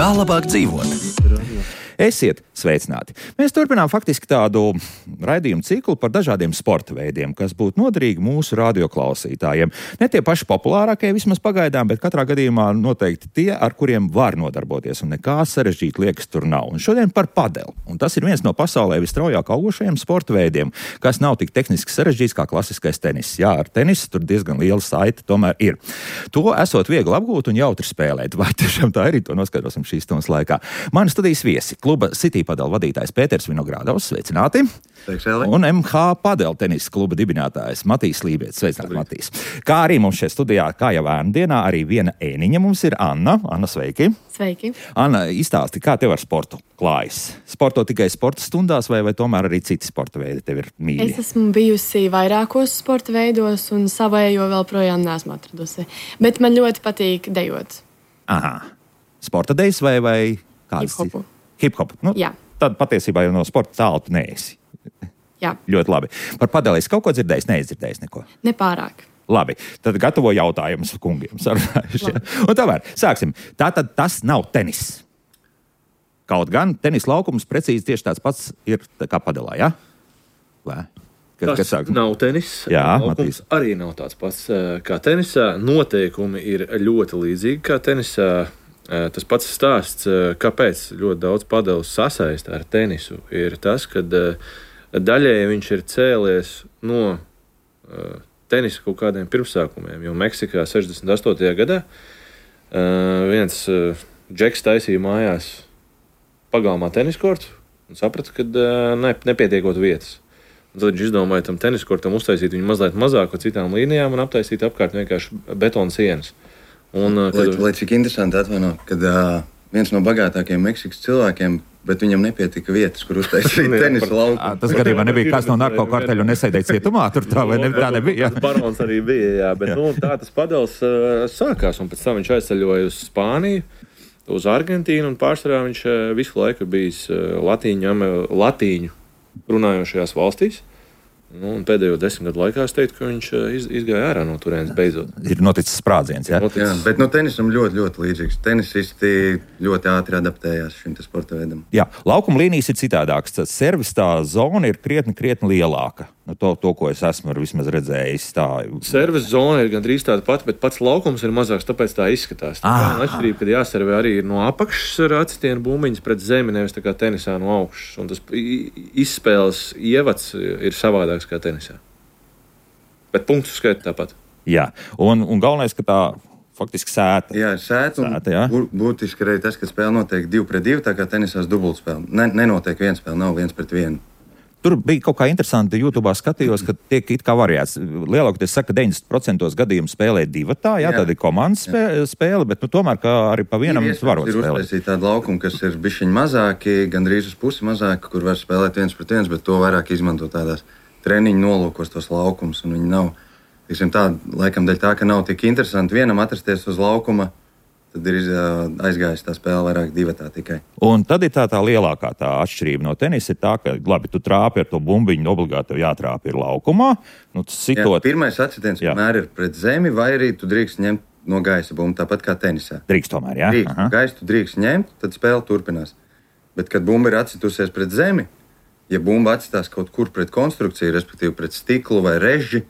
Kā labāk dzīvot? Esiet sveicināti! Mēs turpinām faktiski tādu raidījumu ciklu par dažādiem sporta veidiem, kas būtu noderīgi mūsu radioklausītājiem. Ne tie paši populārākie vismaz pagaidām, bet katrā gadījumā noteikti tie, ar kuriem var nodarboties, un nekā sarežģīt liekas tur nav. Un šodien par padeli. Un tas ir viens no pasaulē visstraujāk augošajiem sporta veidiem, kas nav tik tehniski sarežģīts kā klasiskais tenis. Jā, ar tenisu tur diezgan liela saite tomēr ir. To esot viegli apgūt un jautri spēlēt. Vai tiešām tā arī, to noskaidrosim šīs stundas laikā. Mani studijas viesi. Kluba City padela vadītājs Pēters Vinogradovs, sveicināti. Un MH padela tenisa kluba dibinātājs Matīs Lībietis, sveicināti, Matīs. Kā arī mums šeit studijā, kā jau ēnu dienā, arī viena ēniņa mums ir Anna. Anna, sveiki. Sveiki. Anna, izstāsti, kā tev ar sportu klājas? Sporto tikai sporta stundās vai tomēr arī citi sporta veidi tev ir mīļi? Es esmu bijusi vairākos sporta veidos un savējo vēl projām neesmu atradusi. Bet man ļoti patīk dejot. Aha. Sporta dejas vai kādas? Hip-hopu. Hip-hop. Nu, jā. Tad patiesībā jau no sporta tālu tu neesi. Jā. Ļoti labi. Par padeli es kaut ko dzirdējis, neizdzirdējis neko? Nepārāk. Labi, tad gatavo jautājumus kungiem. Un tomēr, sāksim. Tātad tas nav tenis. Kaut gan tenis laukums precīzi tieši tāds pats ir kā padelā, jā? Tas nav tenis. Jā, laukums arī nav tāds pats kā tenisā. Noteikumi ir ļoti līdzīgi kā tenisā. Tas pats stāsts, kāpēc ļoti daudz padeles sasaista ar tenisu, ir tas, ka daļēji viņš ir cēlies no tenisa kaut kādiem pirmsākumiem. Jo Meksikā 68. gadā viens džeks taisīja mājās pagalmā teniskortu un saprata, ka nepietiekot vietas. Un tad viņš izdomāja tam teniskortam uztaisīt viņu mazliet mazāk ar citām līnijām un aptaisīt apkārt vienkārši betona sienas. Lai cik interesanti atvaino, kad viens no bagātākajiem Meksikas cilvēkiem, bet viņam nepietika vietas, kur uztaisīt tenisa laukumu. Tas gadījumā nebija kāds no narkokarteļu un nesēdēja cietumā, tur tā vai ne, tā nebija. Barons arī bija, jā, bet tā tas padeles sākās, un pēc tam viņš aizceļoja uz Spāniju, uz Argentīnu, un pārsvarā viņš visu laiku bijis latīņu runājošajās valstīs. Un pēdējo 10 gadu laikā es teiktu, ka viņš izgāja ārā no turienes beidzot. Ir noticis sprādziens, jā? Jā, bet no tenisam ļoti līdzīgs. Tenisisti ļoti ātri adaptējās šim sporta veidam. Jā, laukuma līnijas ir citādākas. Tas servis tā zona ir krietni lielāka. To, ko es esmu vismaz redzējis. Servis zona ir gandrīz tāda pati, bet pats laukums ir mazāks, tāpēc tā izskatās. Tā ir atšķirība, kad jāservē arī ir no apakšas ar acitienu bumbiņas pret zemi, nevis tā kā tenisā no augšas. Un tas izspēles ievads ir savādāks kā tenisā. Bet punktu skaita tāpat. Jā, un galvenais, ka tā faktiski sēta. Jā, sēta, jā. Būtiski arī tas, ka spēle notiek 2-2, tā kā tenisās dubultspēle. Nenotiek viena spēle, nav 1-1. Tur bija kaut kā interesanti, YouTube skatījos, ka tiek it kā variēts. Lielākoties saka, 90% gadījumu spēlē divatā, jā, tāda ir komandas spēle, bet tomēr arī pa vienam varot spēlēt. Ir uztaisīti tādi laukumi, kas ir bišķiņi mazāki, gandrīz uz pusi mazāki, kur var spēlēt 1-1, bet to vairāk izmanto tādās treniņu nolūkos tos laukumus, un viņi nav, laikam dēļ tā, ka nav tik interesanti vienam atrasties uz laukuma, tad ir aizgājis tā spēle vairāk divatā tikai. Un tad ir tā lielākā tā atšķirība no tenisa ir tā, ka, labi, tu trāpi ar to bumbiņu, obligāti tev jātrāpi ir laukumā. Jā, pirmais atsitiens vienmēr ir pret zemi, vai arī tu drīkst ņemt no gaisa bumbu, tāpat kā tenisā. Drīkst tomēr, jā? Drīkst. Gaisu tu drīkst ņemt, tad spēle turpinās. Bet, kad bumba ir atsitusies pret zemi, ja bumba atstās kaut kur pret konstrukciju, respektīvi pret stiklu vai reži,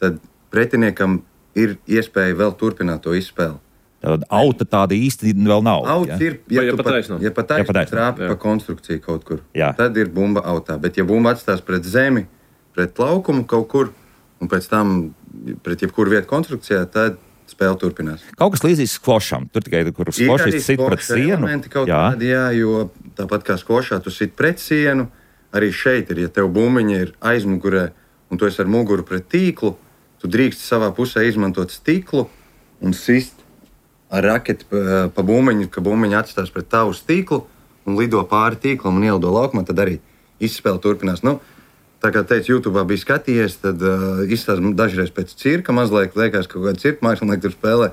tad pretiniekam ir iespēja vēl turpināt to izspēli. Tad auta tāda īsti vēl nav. Auta ir, ja pat taisno trāpi pa konstrukciju kaut kur, tad ir bumba autā. Bet ja bumba atstās pret zemi, pret laukumu kaut kur, un pēc tam pret jebkuru vietu konstrukcijā, tad spēle turpinās. Kaut kas līdzīgs skvošam. Tur tikai, kur skvošists sit pret sienu. Jā, jo tāpat kā skvošā tu sit pret sienu, arī šeit ir, ja tev bumbiņa ir aizmugurē, un tu esi ar muguru pret tīklu, tu drīkst savā pusē izmantot stiklu un sist ar raketi pa bumbiņu, ka bumbiņa atstās pret tavu stīklu un lido pāri tīklam un ielido laukumā, tad arī izspēle turpinās. Tā kā teicu, YouTube bija skatījies, tad izstāsta dažreiz pēc cirka, mazliet liekas, ka kaut kāda cirka mākslinieki tur spēlē.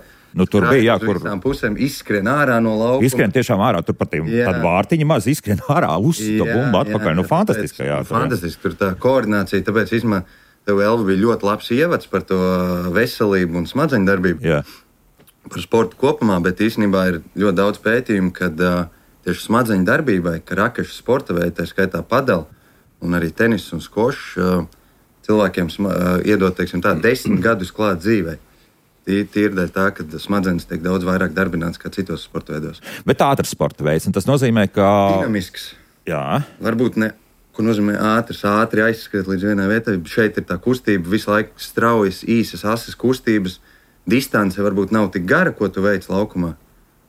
Tur bija, kur visām pusēm izskrien ārā no laukuma. Izskrien tiešām ārā, tur pat tāda vārtiņa maz izskrien ārā, uzsita bumbu atpakaļ. Fantastiski, jā. Fantastiski, tur tā koordinācija, tāpēc tev, Elva, bija ļoti labs ievads par to veselību un smadzeņu darbību. Jā. par sportu kopumā, bet īstenībā ir ļoti daudz pētījumu, kad tieši smadzeņu darbībai, ka rakešu sporta veidi, tā skaitā padel un arī tenis un skošs, cilvēkiem iedod, teiksim tā, 10 gadus klāt dzīvei. Tīri dēļ tā, ka smadzenes tiek daudz vairāk darbināts kā citos sporta veidos. Bet ātrs sporta veids, un tas nozīmē, ka... Dinamisks. Jā. Varbūt ne, ko nozīmē ātri aizskriet līdz vienai vietai. Šeit ir tā kustība, visu laiku straujas, īsas, asas kustības. Distance varbūt nav tik gara, ko tu veic laukumā,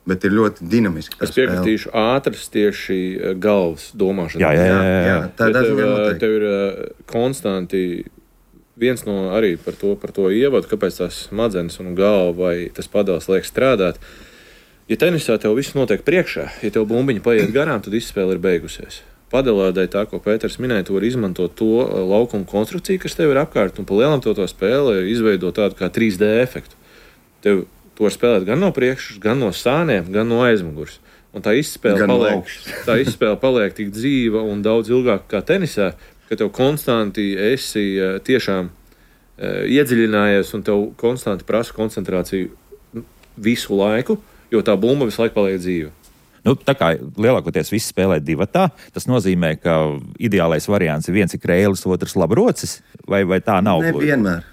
bet ir ļoti dinamiski. Es piekritīšu ātrs tieši galvas domāšana. Jā, tā tev ir konstanti viens no arī par to ievadu, kāpēc tās smadzenes un galva vai tas padals liek strādāt. Ja tenisā tev viss notiek priekšā, ja tev bumbiņa paiet garām, tad izspēle ir beigusies. Padelādai tā, ko Pēters minēja, tu vari izmantot to laukumu konstrukciju, kas tev ir apkārt, un pa lielam to spēli izveidot tādu kā 3D efektu. Tev to var spēlēt gan no priekšas, gan no sāniem, gan no aizmugures. Un tā izspēle paliek tik dzīva un daudz ilgāk kā tenisā, ka tev konstanti esi tiešām iedziļinājies un tev konstanti prasa koncentrāciju visu laiku, jo tā bumba visu laiku paliek dzīva. Nu, tā kā lielākoties visi spēlē divatā, tas nozīmē, ka ideālais variants ir viens ir krēlis, otrs labrocis, vai tā nav? Nevienmēr.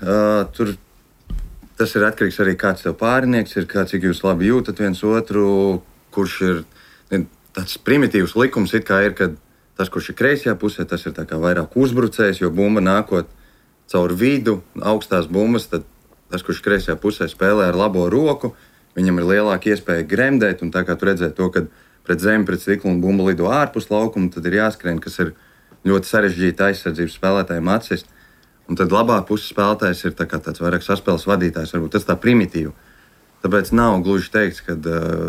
Tas ir atkarīgs arī kāds tev pārinieks ir, cik jūs labi jūtat viens otru, kurš ir tāds primitīvs likums, it kā ir, kad tas, kurš ir kreisajā pusē, tas ir tā kā vairāk uzbrucējs, jo bumba nākot caur vidu, augstās bumbas, tad tas, kurš ir kreisajā pusē spēlē ar labo roku, viņam ir lielāka iespēja gremdēt, un tā kā tu redzēji to, kad pret zemi, pret stiklu un bumba lido ārpus laukuma, tad ir jāskrien, kas ir ļoti sarežģīta aizsardzības spēlētājiem atsist. Un tad labā puses spēlētājs ir tāds vairāk saspēles vadītājs, varbūt tas tā primitīvi. Tāpēc nav gluži teikts, ka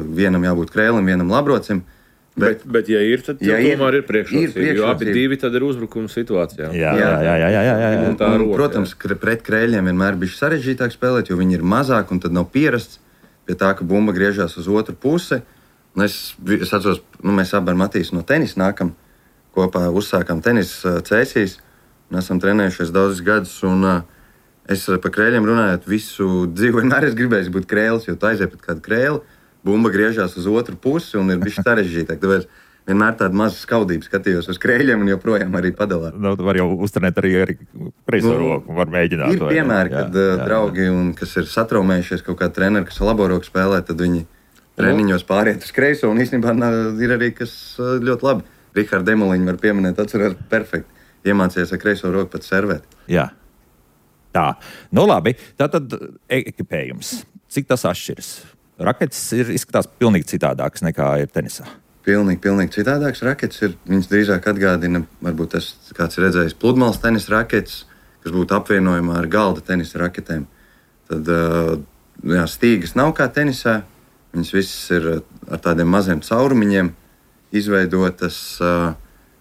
vienam jābūt krēlim, vienam labrocim. Bet ja ir, tad tomēr ir priekšrocība, jo abi divi tad ir uzbrukuma situācijā. Jā. Protams, pret krēļiem vienmēr bija sarežģītāk spēlēt, jo viņi ir mazāk un tad nav pierasts pie tā, ka bumba griežās uz otru pusi. Un es atceros, mēs abi ar Matīsu no tenisa nākam, kopā uzsākām tenisa cēsīs, un esam trenējušies daudzus gadus, un es par krēļiem runājot visu dzīvi, vienmēr es gribēju būt krēlis, jo tu aiziet pret kādu krēli, bumba griežās uz otru pusi, un ir bišķi sarežģītāk. Tāpēc vienmēr tāda maza skaudība skatījos uz krēļiem, un joprojām arī padalā. Var jau uztrenēt arī kreiso roku, var mēģināt. Ir piemēri, kad draugi, kas ir satraumējušies kaut kā treneri, kas labo roku spēlē, tad viņi treniņos pāriet uz kreiso, un īstenībā ir arī, kas ļoti labi. Rihardu Demoliņu var pieminēt, atcerās perfekti. Iemācījies ar kreiso roku pat servēt. Jā. Tā. Nu labi, tātad ekipējums. Cik tas atšķiras? Raketes izskatās pilnīgi citādākas nekā ir tenisā. Pilnīgi citādāks raketes ir. Viņas drīzāk atgādina, varbūt tas kāds ir redzējis pludmales tenisa raketes, kas būtu apvienojumā ar galda tenisa raketēm. Tad stīgas nav kā tenisā. Viņas visas ir ar tādiem maziem caurumiņiem izveidotas.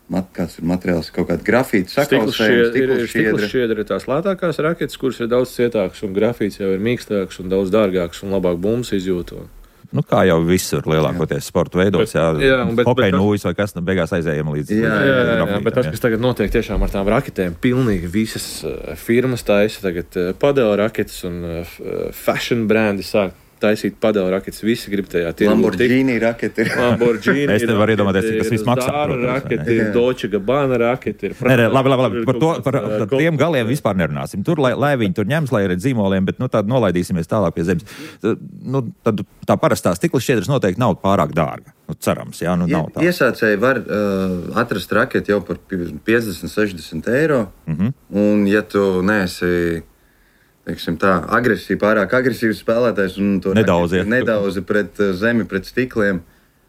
Kāds ir materiāls, kaut kāda grafīta sakausējums. Stikls šķiedra ir tās lētākās raketes, kuras ir daudz cietākas, un grafīts jau ir mīkstāks un daudz dārgāks un labāk bumbas izjūto. Nu, kā jau visur lielākoties sporta veidos, hokeja nūjas vai kas, beigās aizējām līdz. Jā, bet tas, kas tagad notiek tiešām ar tām raketēm, pilnīgi visas firmas taisa tagad padela raketes un fashion brandi sāk taisīt padela raketes. Visi grib tajā tirgu. Lamborghini raketi. Es te varu iedomāties, cik tas viss maksā. Zara raketi, Dolce Gabbana raketi. Labi. Par tiem galiem vispār nerunāsim. Tur, lai viņi tur ņems, lai ir dzīmoliem, bet tad nolaidīsimies tālāk pie zemes. Tad tā parastā stikla šķiedras noteikti nav pārāk dārga. Cerams, jā, nav tā. Iesācēji var atrast raketi jau par 50-60 eiro. Un ja tu neesi pārāk agresīvs spēlētājs un to nedauzi pret zemi, pret stikliem,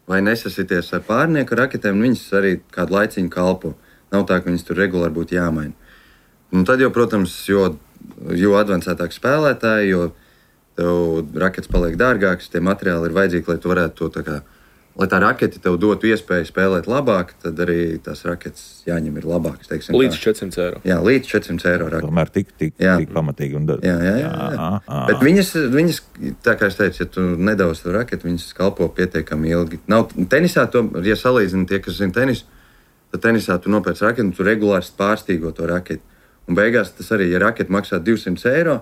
vai nesasities ar pārnieku raketēm, viņas arī kādu laiciņu kalpo. Nav tā, ka viņas tur regulāri būtu jāmaina. Un tad jau, protams, jo advancētāk spēlētāji, jo tev raketes paliek dārgākas, tie materiāli ir vajadzīgi, lai tu varētu to lai tā rakete tev dotu iespēju spēlēt labāk, tad arī tās raketes jāņem ir labākas. Līdz 400 eiro. Jā, līdz 400 eiro rakete. Tomēr tik pamatīgi. Jā. Bet viņas, tā kā es teicu, ja tu nedaudz to raketi, viņas kalpo pietiekami ilgi. Tenisā, ja salīdzina tie, kas zina tenisu, tad tenisā tu nopērc raketi un tu regulāri pārstīgo to raketi. Un beigās tas arī, ja raketi maksā 200 eiro,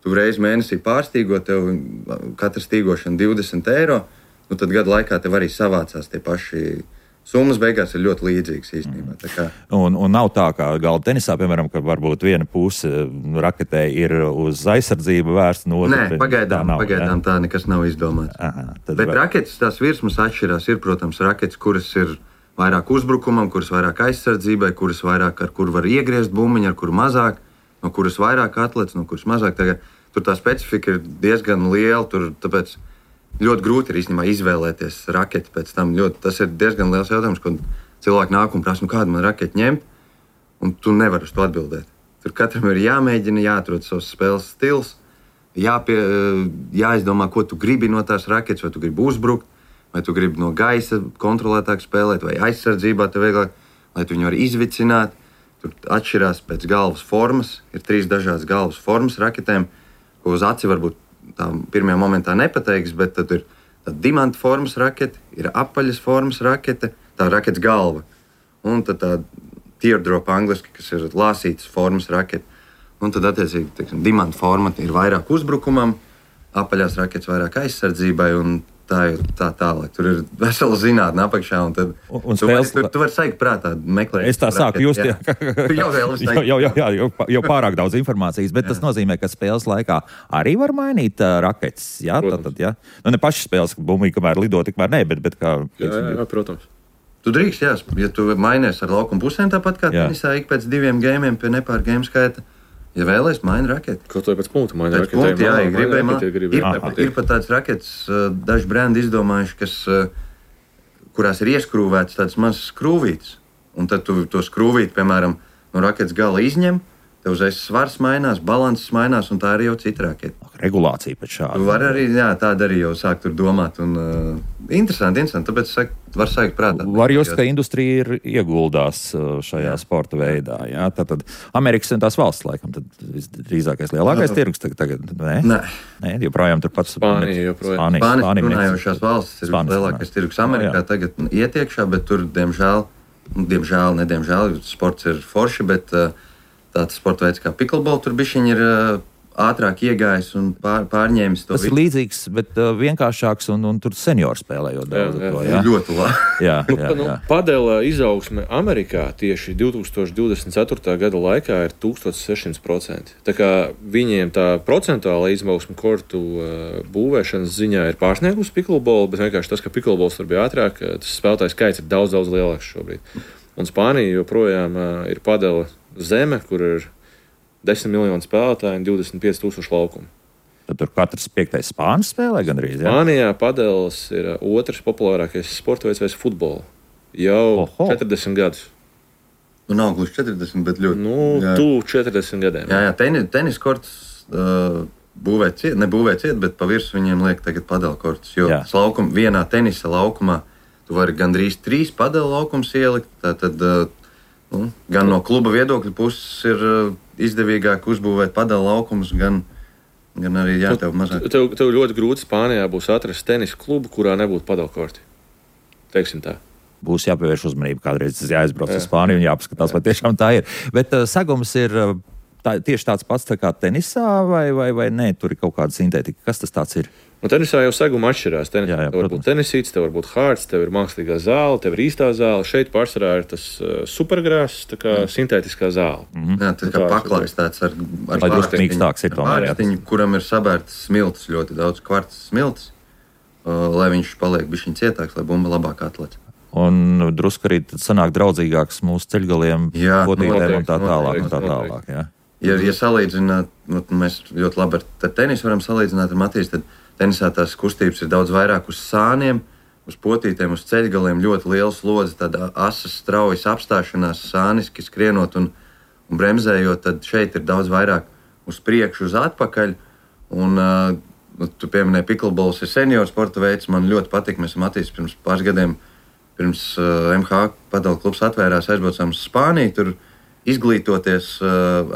tu reizi mēnesī pārstīgo, tev katra stīgošana 20 eiro, nu tad gadu laikā tev arī savācās tie paši. Summas beigās ir ļoti līdzīgas īstenībā. Un nav tā, kā galda tenisā, piemēram, ka varbūt viena puse raketē ir uz aizsardzību vērsta no otras. Nē, pagaidām tā nekas nav izdomāts. Bet raketes tās virsmas atšķirās. Ir, protams, raketes, kuras ir vairāk uzbrukumam, kuras vairāk aizsardzībai, kuras vairāk ar kur var iegriezt bumbiņu, ar kuru mazāk, no kuras vairāk atlec, no kuras mazāk. Tagad, tur tā specifika ir diezgan liela, tāpēc ļoti grūti ir īstenībā izvēlēties raketi pēc tam. Tas ir diezgan liels jautājums, kad cilvēki nāk un prasa, kādu man raketi ņemt, un tu nevari uz to atbildēt. Tur katram ir jāmēģina, jāatrod savs spēles stils, jāizdomā, ko tu gribi no tās raketes, vai tu gribi uzbrukt, vai tu gribi no gaisa kontrolētāk spēlēt, vai aizsardzībā tev vieglāk, lai tu viņu vari izvicināt. Tur atšķirās pēc galvas formas, ir 3 dažādas galvas formas raketēm, ko uz aci varbūt tā pirmajā momentā nepateiks, bet tad ir tā dimanta formas rakete, ir apaļas formas rakete, tā raketes galva. Un tad tā teardrop angliski, kas ir lāsītas formas rakete. Un tad, attiecīgi, teiksim, dimanta forma ir vairāk uzbrukumam, apaļās raketes vairāk aizsardzībai, un tā ir tā tālāk. Tur ir vesela zinātne apakšā, un tad tu vari saigt prātā meklēt. Es tā sāku just, jau pārāk daudz informācijas, bet tas nozīmē, ka spēles laikā arī var mainīt raketes. Jā, tad, jā. Nu, ne paši spēles bumbiņi, kamēr lido, tikmēr ne, bet kā... Jā, protams. Tu drīkst, ja tu mainies ar laukumu pusēm tāpat kā tenisā, ik pēc 2 gamiem pie nepār game skaita. Ja vēlēs, maina raketi. Kaut vai pēc punktu maina raketi. Ir pat tāds raketes, daži brendi izdomājuši, kurās ir ieskrūvēts tādas mazas skrūvītes. Un tad tu to skrūvīti, piemēram, no raketes gala izņem, tev uzreiz svars mainās, balanses mainās, un tā arī jau cita raketa. Regulācija pēc šāda. Tu vari arī, tāda arī jau sākt tur domāt. Un, interesanti, tāpēc var sākt prātā. Var just, ka industrija ir ieguldās šajā sporta veidā. Jā? Tātad Amerikas un tās valsts, laikam, tad drīzākais lielākais tirgus tagad, Nē, joprojām tur pats. Spānija joprojām. Spānijas runājošās valstis ir lielākais tirgus Amerikā tagad ietiekšā, bet tur, diemžēl, sports ir forši, bet tāds sporta veids kā pickleball tur bišķiņi ir ātrāk iegājis un pārņēmis to. Tas ir līdzīgs, bet vienkāršāks un tur seniori spēlējot daudz. Jā. Ļoti labi. Jā. Padela izaugsme Amerikā tieši 2024. gada laikā ir 1600%. Tā kā viņiem tā procentuāla izaugsme kortu būvēšanas ziņā ir pārsniegusi pickleball, bet vienkārši tas, ka pickleballs tur bija ātrāk, tas spēlētājs skaits ir daudz lielāks šobrīd. Un Spānija joprojām ir padela zeme, kur ir 10 miljoni spēlētāji un 25,000 laukumu. Tad tur katrs 5. spānis spēlē gandrīz, jā? Spānijā padeles ir otrs populārākais sporta veids pēc jau 40 gadus. Nu, nav gluži 40, bet ļoti. Tuvu 40 gadiem. Jā, tenis korts nebūvē ciet, bet pa virsmu viņiem liek tagad padelu korts. Jo vienā tenisa laukumā tu vari gandrīz 3 padelu laukums ielikt, tātad gan no kluba viedokļa puses ir izdevīgāk uzbūvēt padelu laukumus, gan arī tev mazāk. Tev ļoti grūti Spānijā būs atrast tenisa klubu, kurā nebūtu padelu korti. Teiksim tā. Būs jāpievērš uzmanība, kādreiz jāizbrauc uz Spāniju un jāpaskatās, vai tiešām tā ir. Bet sagums ir tieši tāds pats tā kā tenisā, vai nē, tur ir kaut kāda sintētika. Kas tas tāds ir? Tenisā jau seguma atšķirās. Tev var būt tenisīts, tev var būt hārds, tev ir mākslīgā zāle, tev ir īstā zāle. Šeit pārsvarā ir tas supergrāss, tā kā sintētiskā zāle. Jā, tā kā paklājs tāds ar vārstiņu, kuram ir sabērtas smiltis, ļoti daudz kvarts smiltis, lai viņš paliek bišķiņ cietāks, lai bumba labāk atlec. Un drusku arī sanāk draudzīgāks mūsu ceļgaliem, potītēm un tā tālāk. Jā. Ja salīdzināt, mēs ļoti labi ar tenisu varam salīdzināt ar Matīs, tad tenisā tās kustības ir daudz vairāk uz sāniem, uz potītēm, uz ceļgaliem, ļoti liela slodze, tāda asas straujas apstāšanās, sāniski skrienot un bremzējot, tad šeit ir daudz vairāk uz priekšu, uz atpakaļ. Un tu pieminēji, pickleballs ir senioru sporta veids, man ļoti patīk, mēs Matīs pirms pāris gadiem, pirms MH padelu klubs atvērās, aizbraucām uz Spāniju, tur izglītoties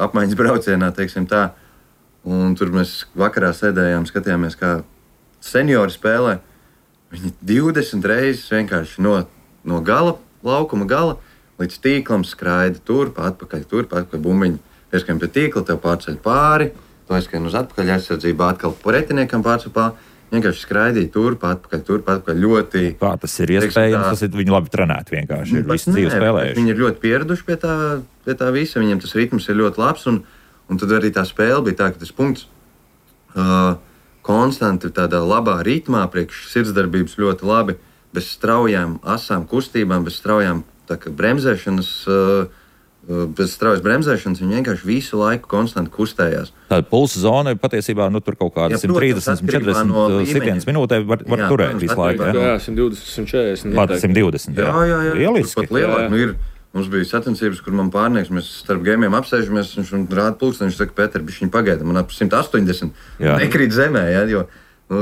apmaiņas braucienā, teiksim tā. Un tur mēs vakarā sēdējām, skatījāmies, kā seniori spēlē. Viņi 20 reizes vienkārši no gala, laukuma gala līdz tīklam skraida turp, atpakaļ bumbiņu. Pieskajam pie tīkla, tev pārceļ pāri, tu aizskrien uz atpakaļ aizsardzību, atkal pretiniekam pārsupā. Vienkārši skraidīja turp, atpakaļ ļoti. Kā tas ir iespējams? Tas ir viņi labi trenēti vienkārši. Ir visi dzīvi spēlējuši. Viņi ir ļoti pieraduši pie tā visa. Viņiem tas ritms ir ļoti labs. Un tad arī tā spēle bija tā, ka tas punkts konstanti tādā labā ritmā, priekš sirdsdarbības ļoti labi, bez straujām asām kustībām, bez straujām bremzēšanas. Bez straujas bremzēšanas viņi vienkārši visu laiku konstanti kustējās. Tāda pulsa zona patiesībā tur kaut kāda 130, 140 sitienas minūtē var turēt visu laiku. Jā, 120, 140. Pat 120, jā. Lieliski. Pat lielāk. Mums bija sacensības, kur man pārnieks, mēs starp gēmiem apsēžamies, viņš rāda pulksteni, viņš saka, Pēter, bišķiņ pagaida, man ap 180 nekrīt zemē, jo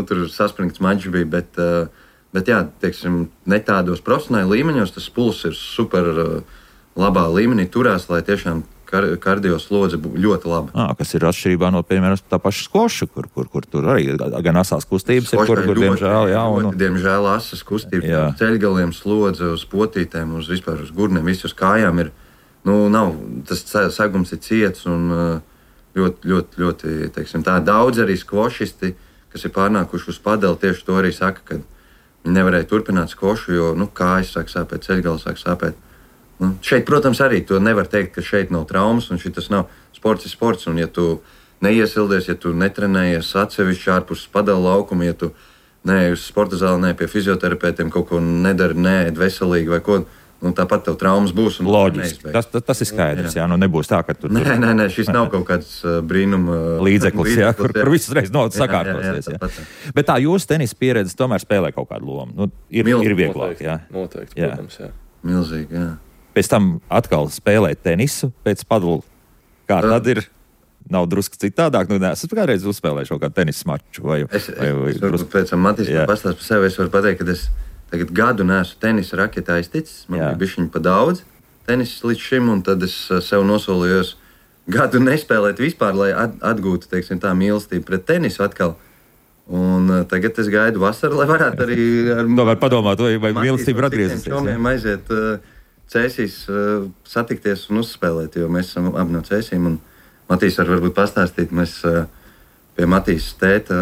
tur saspringts mačs bija, bet jā, teiksim, ne tādos profesionāli līmeņos, tas puls ir super labā līmenī turās, lai tiešām kardio slodze būtu ļoti laba. Kas ir atšķirībā no, piemēram, tā paša skvoša, kur tur arī gan asās kustības ir, kur diemžēl, jā. Diemžēl asas kustības, ceļgaliem slodze, uz potītēm, uz vispār uz gurniem, visi uz kājām ir, nav, tas segums ir ciets un ļoti, teiksim, tā daudz arī skvošisti, kas ir pārnākuši uz padeli, tieši to arī saka, ka viņi nevarēja turpināt skvošu, jo, kājas sāk sāpēt, ceļgali sāk sāpēt. Šeit, protams, arī to nevar teikt, ka šeit nav traumas un šitas nav sports ir sports. Un ja tu neiesildies, ja tu netrenējies atsevišķi ārpus padala laukuma, ja tu neej uz sporta zāli, ne pie fizioterapeitiem, kaut ko nedari, neēd veselīgi vai ko, tāpat tev traumas būs. Loģiski. Tas ir skaidrs, jā. Nebūs tā, ka tur... Nē, šis nav kaut kāds brīnuma... līdzeklis, jā, kur visas reizes naudas sakārtosies. Jā. Bet tā jūsu tenisa pieredze tomēr spēlē kaut kādu lomu. Ir vieglāk, jā. Noteikti, protams, jā. Milzīgi, jā. Pēc tam atkal spēlēt tenisu pēc padala. Kā tad ir? Nav drusku citādāk. Es kādreiz uzspēlēju šo kādu tenisa maču. Es varbūt pēc tam Matīs pastāst par sevi. Es varu pateikt, ka es tagad gadu neesmu tenisa raketā aizticis. Man bija bišķiņ pa daudz tenisas līdz šim, un tad es sev nosolījos gadu nespēlēt vispār, lai atgūtu, teiksim, tā mīlestību pret tenisu atkal. Un tagad es gaidu vasaru, lai varētu arī var padomāt, vai mīlestība ir atgriezusies. Čomiem aiziet Cēsīs satikties un uzspēlēt, jo mēs esam abi no Cēsīm. Un Matīs var varbūt pastāstīt, mēs pie Matīs tēta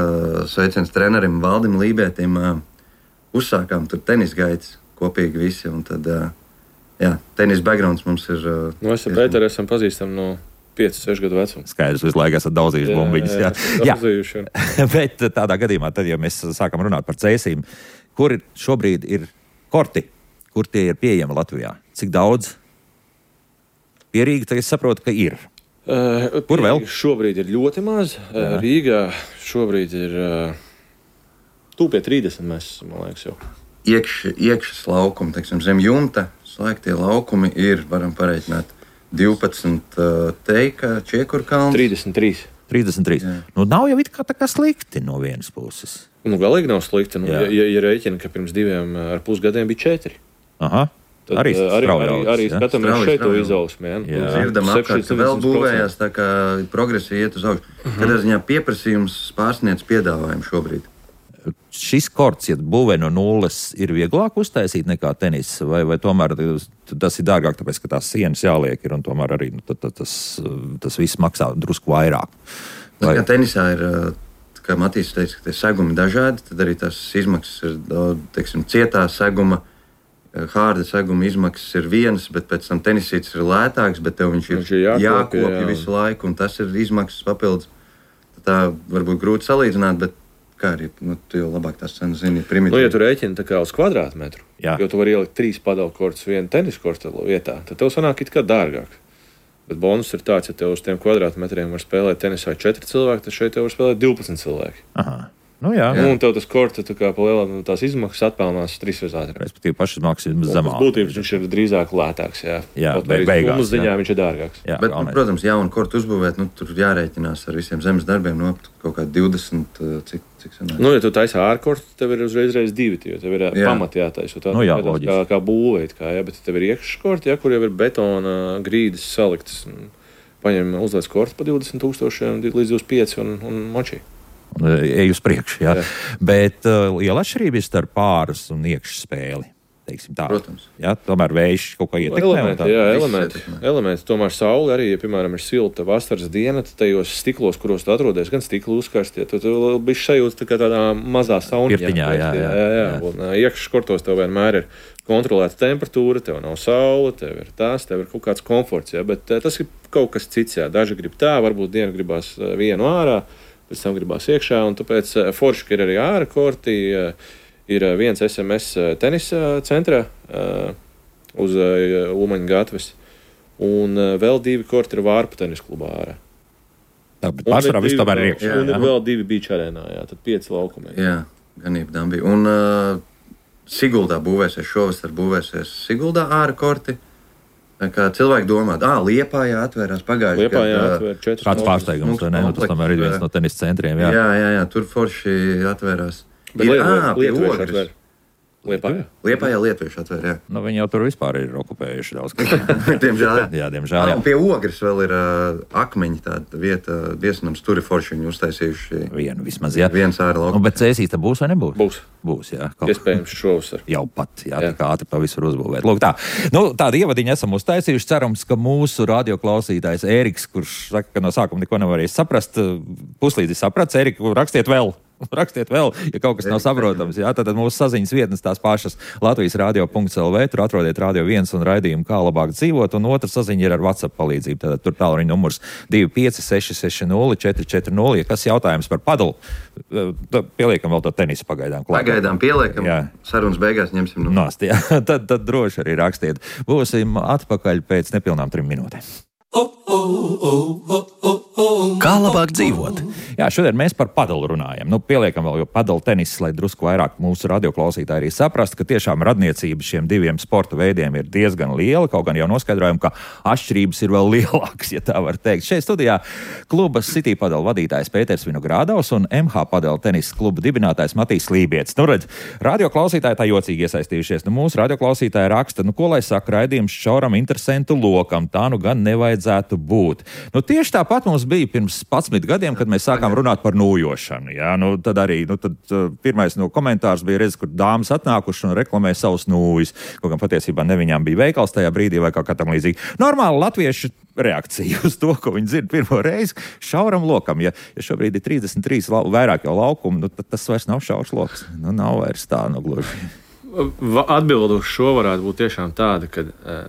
sveiciens trenerim Valdim Lībētim uzsākām tur tenis gaitas kopīgi visi. Un tad, tenis backgrounds mums ir... Es ar Pēteru esam pazīstami no 5-6 gadu vecuma. Skaidrs, visu laiku esat daudzījuši bumbiņas. Jā. Bet tādā gadījumā, tad, ja mēs sākam runāt par Cēsīm, kur šobrīd ir korti? Kur tie ir pieejami Latvijā? Cik daudz? Pierīga, tagad es saprotu, ka ir. Kur vēl? Šobrīd ir ļoti maz. Rīgā šobrīd ir tūpie 30, mēs, man liekas, jau. Iekšas laukumi, teiksim, zem jumta, slēgtie laukumi ir, varam pareiķināt, 12 teika Čiekurkalns. 33. Nav jau it kā tā kā slikti no vienas puses. Galīgi nav slikti. Ja rēķina, ka pirms 2,5 gadiem bija 4. Aha. Tad arī skatāmies šeit to izaugsmē. Dzirdam apkārt, ka vēl būvējās, tā kā progresija iet uz augšu. Kādā ziņā pieprasījums pārsniedz piedāvājumu šobrīd. Šis korts, ja būvē no nulles, ir vieglāk uztaisīt nekā tenis, vai tomēr tas ir dārgāk, tāpēc, ka tās sienas jāliek ir, un tomēr arī tas viss maksā drusku vairāk. Kā tenisā ir, kā Matīs teica, ka tie segumi dažādi, tad arī tās izmaksas ir, teiksim, cietā seguma, hārda seguma izmaksas ir vienas, bet pēc tam tenisītis ir lētāks, bet tev viņš ir jākopja visu laiku, un tas ir izmaksas papildus. Tā varbūt grūti salīdzināt, bet kā arī, tu jau labāk tās cenas zini, primitīvi. Ja tu rēķini tā kā uz kvadrātmetru, jo tu vari ielikt 3 padalkortus vienu teniskortu vietā, tad tev sanāk it kā dārgāk. Bet bonus ir tāds, ja tev uz tiem kvadrātmetriem var spēlēt tenisā 4 cilvēki, tad šeit tev var spēlēt 12 cilvēki. Aha. Jā. Un tev tas korts, tā kā pa lielā tās izmaksas atpelnās 3 reizes ātrāk. Respektīvi, pašas maksas ir zemāk. Būtības viņš ir drīzāk lētāks, beigās ziņā viņš ir dārgāks. Bet, protams, jaunu kortu uzbūvēt, tur jārēķinās ar visiem zemes darbiem, kaut kā 20, cik sanāk. Ja tu taisi ārkortu, tev ir uzreiz 2, jo tev ir pamati jātaisa. Kā būvēt, bet tev ir iekškorti, kur jau ir betona grīdas saliktas. Paņem uzlēc kortu pa 20,000 līdz 25 un močī. Ej uz priekšu, jā. Bet liela atšķirība ir starp pāras un iekšspēli teiksim tā. Protams. Jā, tomēr vējš kaut kā ietekmē. Elementi. Tomēr saule arī, ja, piemēram, ir silta vasaras diena, tad tajos stiklos, kuros tu atrodies, gan stiklu uzkarstie, tad bišķi sajūta tādā mazā sauniņā. Jā. Un iekšškortos tev vienmēr ir kontrolēta temperatūra, tev nav saule, tev ir kaut kāds komforts, jā, bet tas ir kaut kas cits, jā. Daži grib tā, varbūt dienu gribās vienu ārā, pēc tam gribās iekšā, un tāpēc forši, ka ir arī ārā korti, ir viens SMS tenisa centrā uz Ulmaņa gatves, un vēl 2 korti ir Vārpa tenisa klubā ārā. Tā, bet pārsvarā viss tomēr ir iekšā. Un ir vēl 2 beach arēnā, jā, tad 5 laukumiem. Jā, ganība tam bija. Un Siguldā būvēsies Siguldā ārā korti. Kā cilvēki domā, Liepājā atvērās pagājušajā gadā. Liepājā atvēr 4. Kāds pārsteigums, vai ne? Tas tomēr ir viens no tenisa centriem, jā. Jā, tur forši atvērās. Bet Lietuvieši atvēr. Liepājā lietuvieši atvēr, jā. Nu, viņi jau tur vispār ir okupējuši daudz. Diemžēl, jā. Diemžēl, jā. Un pie Ogres vēl ir Akmeņi tāda vieta, viesinams, tur ir forši viņi uztaisījuši. Vienu vismaz, jā. Viens ārā laukums. Bet Cēsīs tā būs vai nebūs? Būs, jā. Iespējams šovasar. Jau pat, jā, tik ātri pa visur uzbūvēt. Lūk tā. Tādu ievadiņu esam uztaisījuši. Cerams, ka mūsu radioklausītājs Ēriks, kurš saka, ka no sākuma neko nevarēs saprast, puslīdzi saprats. Ēriku, rakstiet vēl, ja kaut kas nav saprotams. Jā, tad mūsu saziņas vietnes tās pašas Latvijas radio.lv, tur atrodiet Radio 1 un raidījumu Kā labāk dzīvot, un otra saziņa ir ar WhatsApp palīdzību. Tad tur tālruņa numurs 25660 440. Ja kas jautājums par padalu, pieliekam vēl to tenisu pagaidām klāt. Pagaidām pieliekam, sarunas beigās ņemsim. Nost, jā. Tad droši arī rakstiet. Būsim atpakaļ pēc nepilnām 3 minūtēm. Kā labāk dzīvot? Jā, šodien mēs par padalu runājam. Pieliekam vēl, jo padalu tenis, lai drusku vairāk mūsu radioklausītāji arī saprast, ka tiešām radniecība šiem 2 sporta veidiem ir diezgan liela, kaut gan jau noskaidrojam, ka atšķirības ir vēl lielākas, ja tā var teikt. Šeit studijā kluba City padalu vadītājs Pēters Vinogradovs un MH padalu tenisa kluba dibinātājs Matīs Lībietis. Redz, radioklausītāji tā jocīgi iesaistījušies. Mūsu radioklausītāji raksta, ko lai saka raidījums šauram interesantu lokam, tā gan nevajadzētu būt. Tieši tāpat mums bija pirms 11 gadiem, kad mēs sākām runāt par nūjošanu. Jā, tad arī pirmais komentārs bija redzes, kur dāmas atnākuši un reklamē savus nūjus. Kaut gan patiesībā ne viņām bija veikals tajā brīdī vai kaut kā tam līdzīgi. Normāli latviešu reakcija uz to, ko viņi dzird pirmo reizi, šauram lokam. Ja šobrīd ir 33 vairāk jau laukumu, tad tas vairs nav šaurs loks. Nav vairs tā, gluži. Atbilde uz šo varētu būt tiešām tāda, ka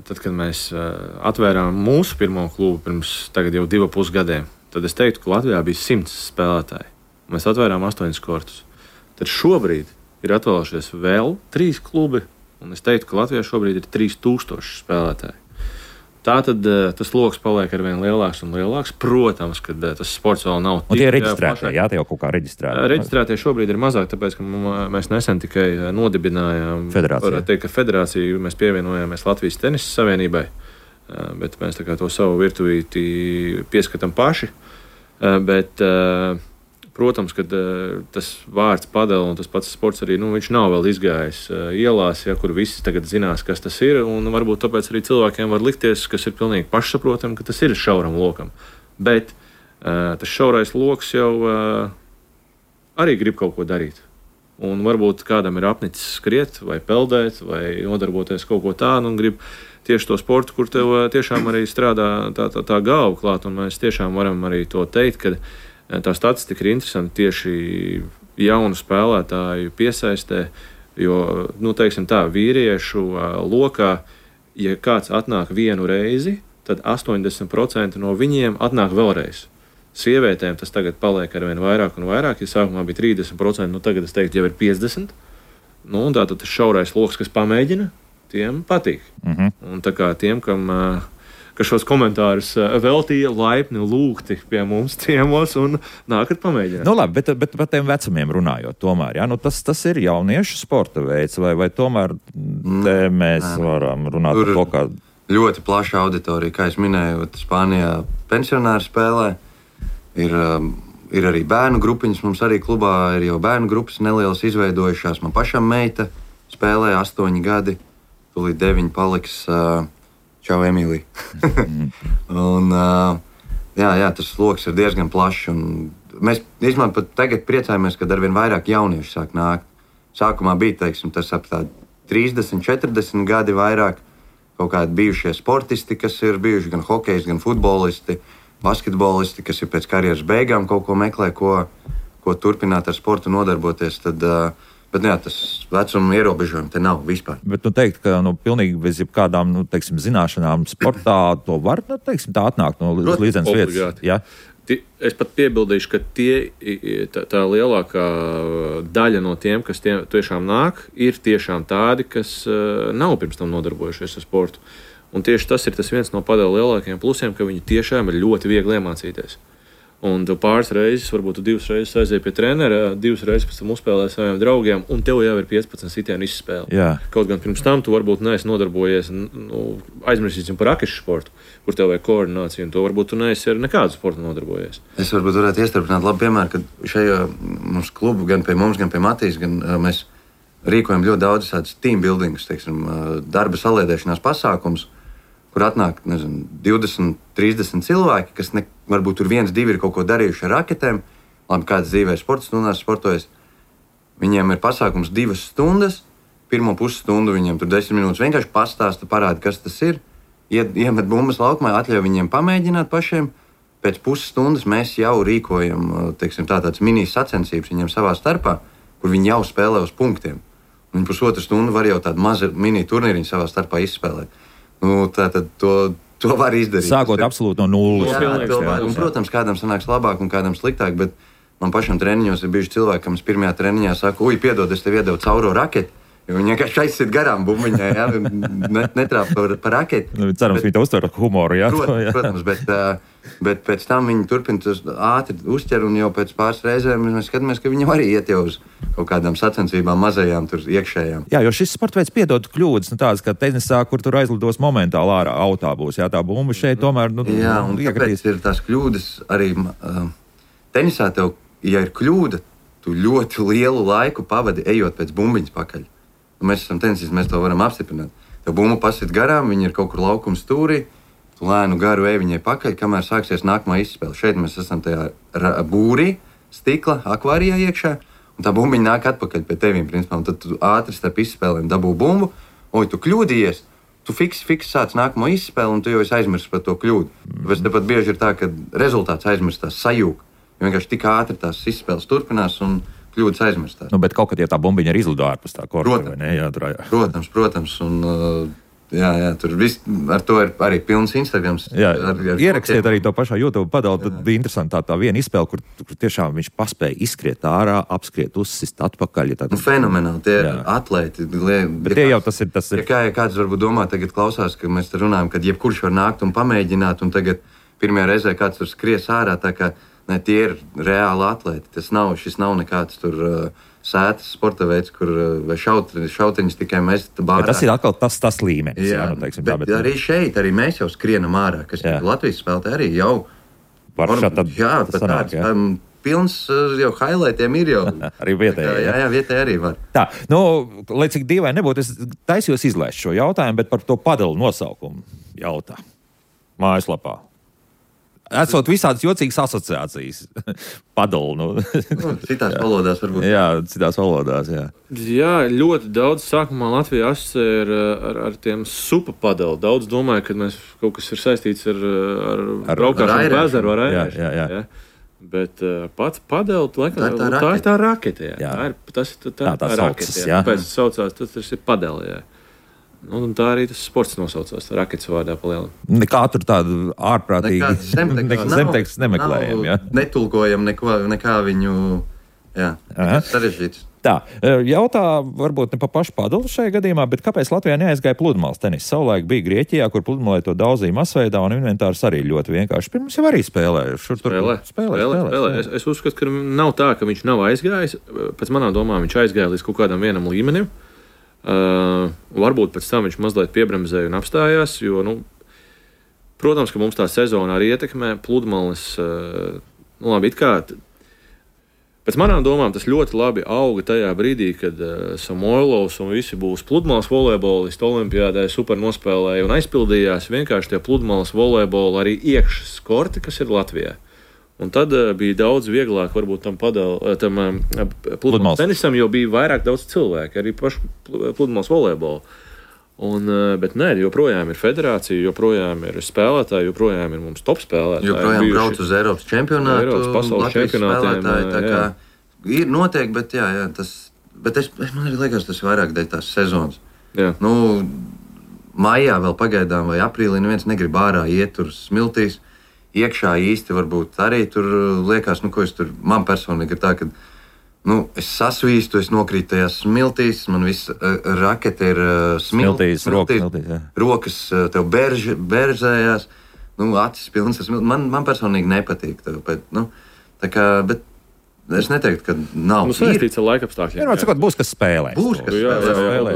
tad, kad mēs atvērām mūsu pirmo klubu pirms tagad jau 2,5 gadiem, tad es teiktu, ka Latvijā bija 100 spēlētāji. Mēs atvērām 8 kortus. Tad šobrīd ir atvēlušies vēl 3 klubi, un es teiktu, ka Latvijā šobrīd ir 3000 spēlētāji. Tātad tas loks paliek ar vien lielāks un lielāks. Protams, ka tas sports vēl nav tik... Un tie ir reģistrētie, jā, tie jau kaut kā reģistrēti. Reģistrētie šobrīd ir mazāk, tāpēc, ka mēs nesen tikai nodibinājām... Federācija. Teikt, ka federāciju mēs pievienojāmies Latvijas tenisa savienībai, bet mēs tā kā to savu virtuvīti pieskatām paši. Bet, protams, ka tas vārds padala un tas pats sports arī, viņš nav vēl izgājis ielās, kur visi tagad zinās, kas tas ir, un varbūt tāpēc arī cilvēkiem var likties, kas ir pilnīgi pašsaprotam, ka tas ir šauram lokam. Bet tas šaurais loks jau arī grib kaut ko darīt. Un varbūt kādam ir apnicis skriet vai peldēt vai nodarboties kaut ko tādu un grib tieši to sportu, kur tev tiešām arī strādā tā galva klāt, un mēs tiešām varam arī to teikt, ka tā statistika ir interesanta tieši jaunu spēlētāju piesaistē, jo, teiksim tā, vīriešu lokā, ja kāds atnāk vienu reizi, tad 80% no viņiem atnāk vēlreiz. Sievietēm tas tagad paliek ar vien vairāk un vairāk, ja sākumā bija 30%, tagad es teiktu jau ir 50%. Un tātad tas šaurais loks, kas pamēģina, tiem patīk. Un tā kā tiem, ka šos komentārus veltīja laipni lūgti pie mums ciemos un nākat pamēģināt. Labi, bet par tiem vecumiem runājot tomēr, jā, tas ir jauniešu sporta veids, vai tomēr mēs varam runāt par to, kā... Ļoti plaša auditorija, kā es minēju, Spānijā pensionāri spēlē, ir arī bērnu grupiņas, mums arī klubā ir jau bērnu grupas nelielas izveidojušās, man pašam meita spēlē 8 gadi, tūlīt 9 paliks... Čau, Emīlija. Un, tas loks ir diezgan plašs. Mēs pat tagad priecājamies, kad arvien vairāk jauniešu sāk nākt. Sākumā bija, tas ap 30, 40 gadi vairāk. Kaut kādi bijušie sportisti, kas ir bijuši gan hokejs, gan futbolisti, basketbolisti, kas ir pēc karjeras beigām kaut ko meklē, ko turpināt ar sportu nodarboties. Bet jā, tas vecuma ierobežojumi te nav vispār. Bet teikt, ka pilnīgi bez jebkādām zināšanām sportā to var tā atnākt no līdzenas vietas. Ja? Es pat piebildīšu, ka tā lielākā daļa no tiem, kas tiešām nāk, ir tiešām tādi, kas nav pirms tam nodarbojušies ar sportu. Un tieši tas ir viens no padela lielākajiem plusiem, ka viņi tiešām ir ļoti viegli iemācīties. Un tu pāris reizes, varbūt tu 2 reizes aizēji pie trenera, 2 reizes pēc tam uzspēlēji saviem draugiem, un tev jau ir 15 sitienu izspēle. Jā. Kaut gan pirms tam tu varbūt neesi nodarbojies, aizmirsīsim par rakešu sportu, kur tev vajag koordināciju, un to varbūt tu neesi ar nekādu sportu nodarbojies. Es varētu iestrādāt labu piemēru, ka šajā mums klubu, gan pie mums, gan pie Matīs, mēs rīkojam ļoti daudz tādus team buildings, darba saliedēšanās pasākums, kur atnāk 20, 30 cilvēki, kas varbūt tur 1, 2 ir kaut ko darījuši ar raketēm. Labi, kāds dzīvē sporta stundās sportojas. Viņiem ir pasākums 2 stundas. Pirmo pusstundu viņiem tur 10 minūtes vienkārši pastāsta, parāda, kas tas ir. Iemet bumbas laukumā, atļauj viņiem pamēģināt pašiem. Pēc pusstundas mēs jau rīkojam tādas mini sacensības viņiem savā starpā, kur viņi jau spēlē uz punktiem. Viņi pusotru stundu var jau tādu mazu mini turnīriņu savā starpā izspēlēt. Tātad to var izdarīt. Sākot absolūti no nulles. Un, protams, kādam sanāks labāk un kādam sliktāk, bet man pašam treniņos ir bijuši cilvēki, kam es pirmajā treniņā saku, piedod, es tev iedevu cauro raketi, jo viņi vienkārši aizsit garām bumbiņai, netrāp par raketi. Cerams, viņi to uztver ar humoru, jā? Protams, bet pēc tam viņi turpina ātri uzķer, un jau pēc pāris reizēm mēs skatāmies, ka viņi arī iet jau uz kaut kādām sacensībām mazajām, tur iekšējām. Jā, jo šis sporta veids piedod kļūdas, tādas kā tenisā, kur tur aizlidos momentāli ārā autā būs, jā, tā bumba šeit tomēr, jā, un kāpēc ir tās kļūdas arī tenisā tev, ja ir kļūda, tu ļoti lielu laiku pavadi ejot pēc bumbiņas pakaļ. Mēs esam tenisisti, mēs to varam apstiprināt. Tev bumba pasit garām, viņa ir kaut kur laukuma stūrī, tu lēnu garu ej viņai pakaļ, kamēr sāksies nākamā izspēle. Šeit mēs esam tajā būrī, stikla, akvārijā iekšā, un tā bumbiņa nāk atpakaļ pie tevīm, principā, un tad tu ātri starp izspēlēm dabū bumbu, tu kļūdījies, tu fiks sāc nākamo izspēli, un tu jau esi aizmirsis par to kļūdu. Tāpēc tepat bieži ir tā, ka rezultāts aizmirstās sajūg, jo vienkārši tik ātri tās izspēles turpinās, un kļūdas aizmirstās. Bet kaut kad, ja tā bumbiņa ir izlido ārpus tā korta, vai ne? Jā, protams, un jā, tur viss, ar to ir arī pilns Instagrams. Jā, ierakstiet arī to pašā YouTube padalu, tad bija interesanti tā viena izspēle, kur tiešām viņš paspēja izskriet ārā, apskriet, uzsist atpakaļ. Fenomenāli, tie atlēti. Bet tie jau tas ir. Ja kāds varbūt domā, tagad klausās, ka mēs te runājam, kad jebkurš var nākt un pamēģināt, un tagad pirmajā reizē kāds tur skries ārā, tā kā ne, tie ir reāli atlēti. Šis nav nekāds tur sētas sporta veids, kur šautiņus tikai mēs bārā. Tas ir atkal tas līmenis. Jā, bet arī šeit, arī mēs jau skrienam ārā, kas Latvijas spēlē arī jau. Jā, pat tāds pilns jau highlightiem ir jau. Arī vietēji. Jā, vietēji arī var. Tā, lai cik dīvaini nebūtu, es taisījos izlēst šo jautājumu, bet par to padalu nosaukumu jautā mājaslapā. Esot visādas jocīgas asociācijas. Padalu. Citās valodās varbūt. Jā, citās valodās, jā. Jā, ļoti daudz sākumā Latvijā asociē ar tiem supa padalu. Daudz domāju, ka mēs kaut kas ir saistīts ar braukšanu pa ezeru ar airēšanu. Jā. Bet pats padelu, laikam, tā ir tā rakete. Jā. Tā rakete. Pēc saucās, tas ir padeli, jā. Un tā arī tas sports nosaucās raketas vārdā pa lielam. Nekā tur tādu ārprātīgi zemteksts nemeklējam, jā? Netulkojam nekā viņu, jā, sarežģīts. Tā, jautā varbūt ne pa pašu padalu šajā gadījumā, bet kāpēc Latvijā neaizgāja pludmales tenis? Savulaik bija Grieķijā, kur pludmalē to daudzīja masveidā, un inventārs arī ļoti vienkārši. Pirms jau arī spēlēja. Spēlē. Es uzskatu, ka nav tā, ka viņš nav aizgājis. Pēc manām domām viņš aizgāja līdz kaut kādam vienam līmenim. Varbūt pēc tam viņš mazliet piebremzēja un apstājās, jo, protams, ka mums tā sezona arī ietekmē pludmales, labi, it kā, pēc manām domām tas ļoti labi auga tajā brīdī, kad Samoilovs un visi būs pludmales volejbolisti olimpiādē super nospēlēja un aizpildījās vienkārši tie pludmales volejboli arī iekšas korti, kas ir Latvijā. Un tad bija daudz vieglāk varbūt tam pludmales tenisam, jo bija vairāk daudz cilvēku, arī pašu pludmales volejbolu. Bet nē, joprojām ir federācija, joprojām ir spēlētāji, joprojām ir mums top spēlētāji. Joprojām brauc uz Eiropas čempionātu, Eiropas pasaules čempionātiem. Tā kā ir noteikti, bet bet man arī liekas, tas ir vairāk dēļ tās sezonas. Jā. Maijā vēl pagaidām vai aprīlī neviens negrib ārā iet tur smiltīs. Iekšā īsti varbūt arī tur liekas, ko es tur, man personīgi ir tā, ka es sasvīstu, es nokrītu tajās smiltīs, man viss rakete ir smiltīs, rokas tev beržējās, acis pilnas ar smiltīs. Man personīgi nepatīk tev, tā kā, bet es neteiktu, ka nav. Saistīts ar laikapstākļiem. Būs, kas spēlē. Būs, kas spēlē.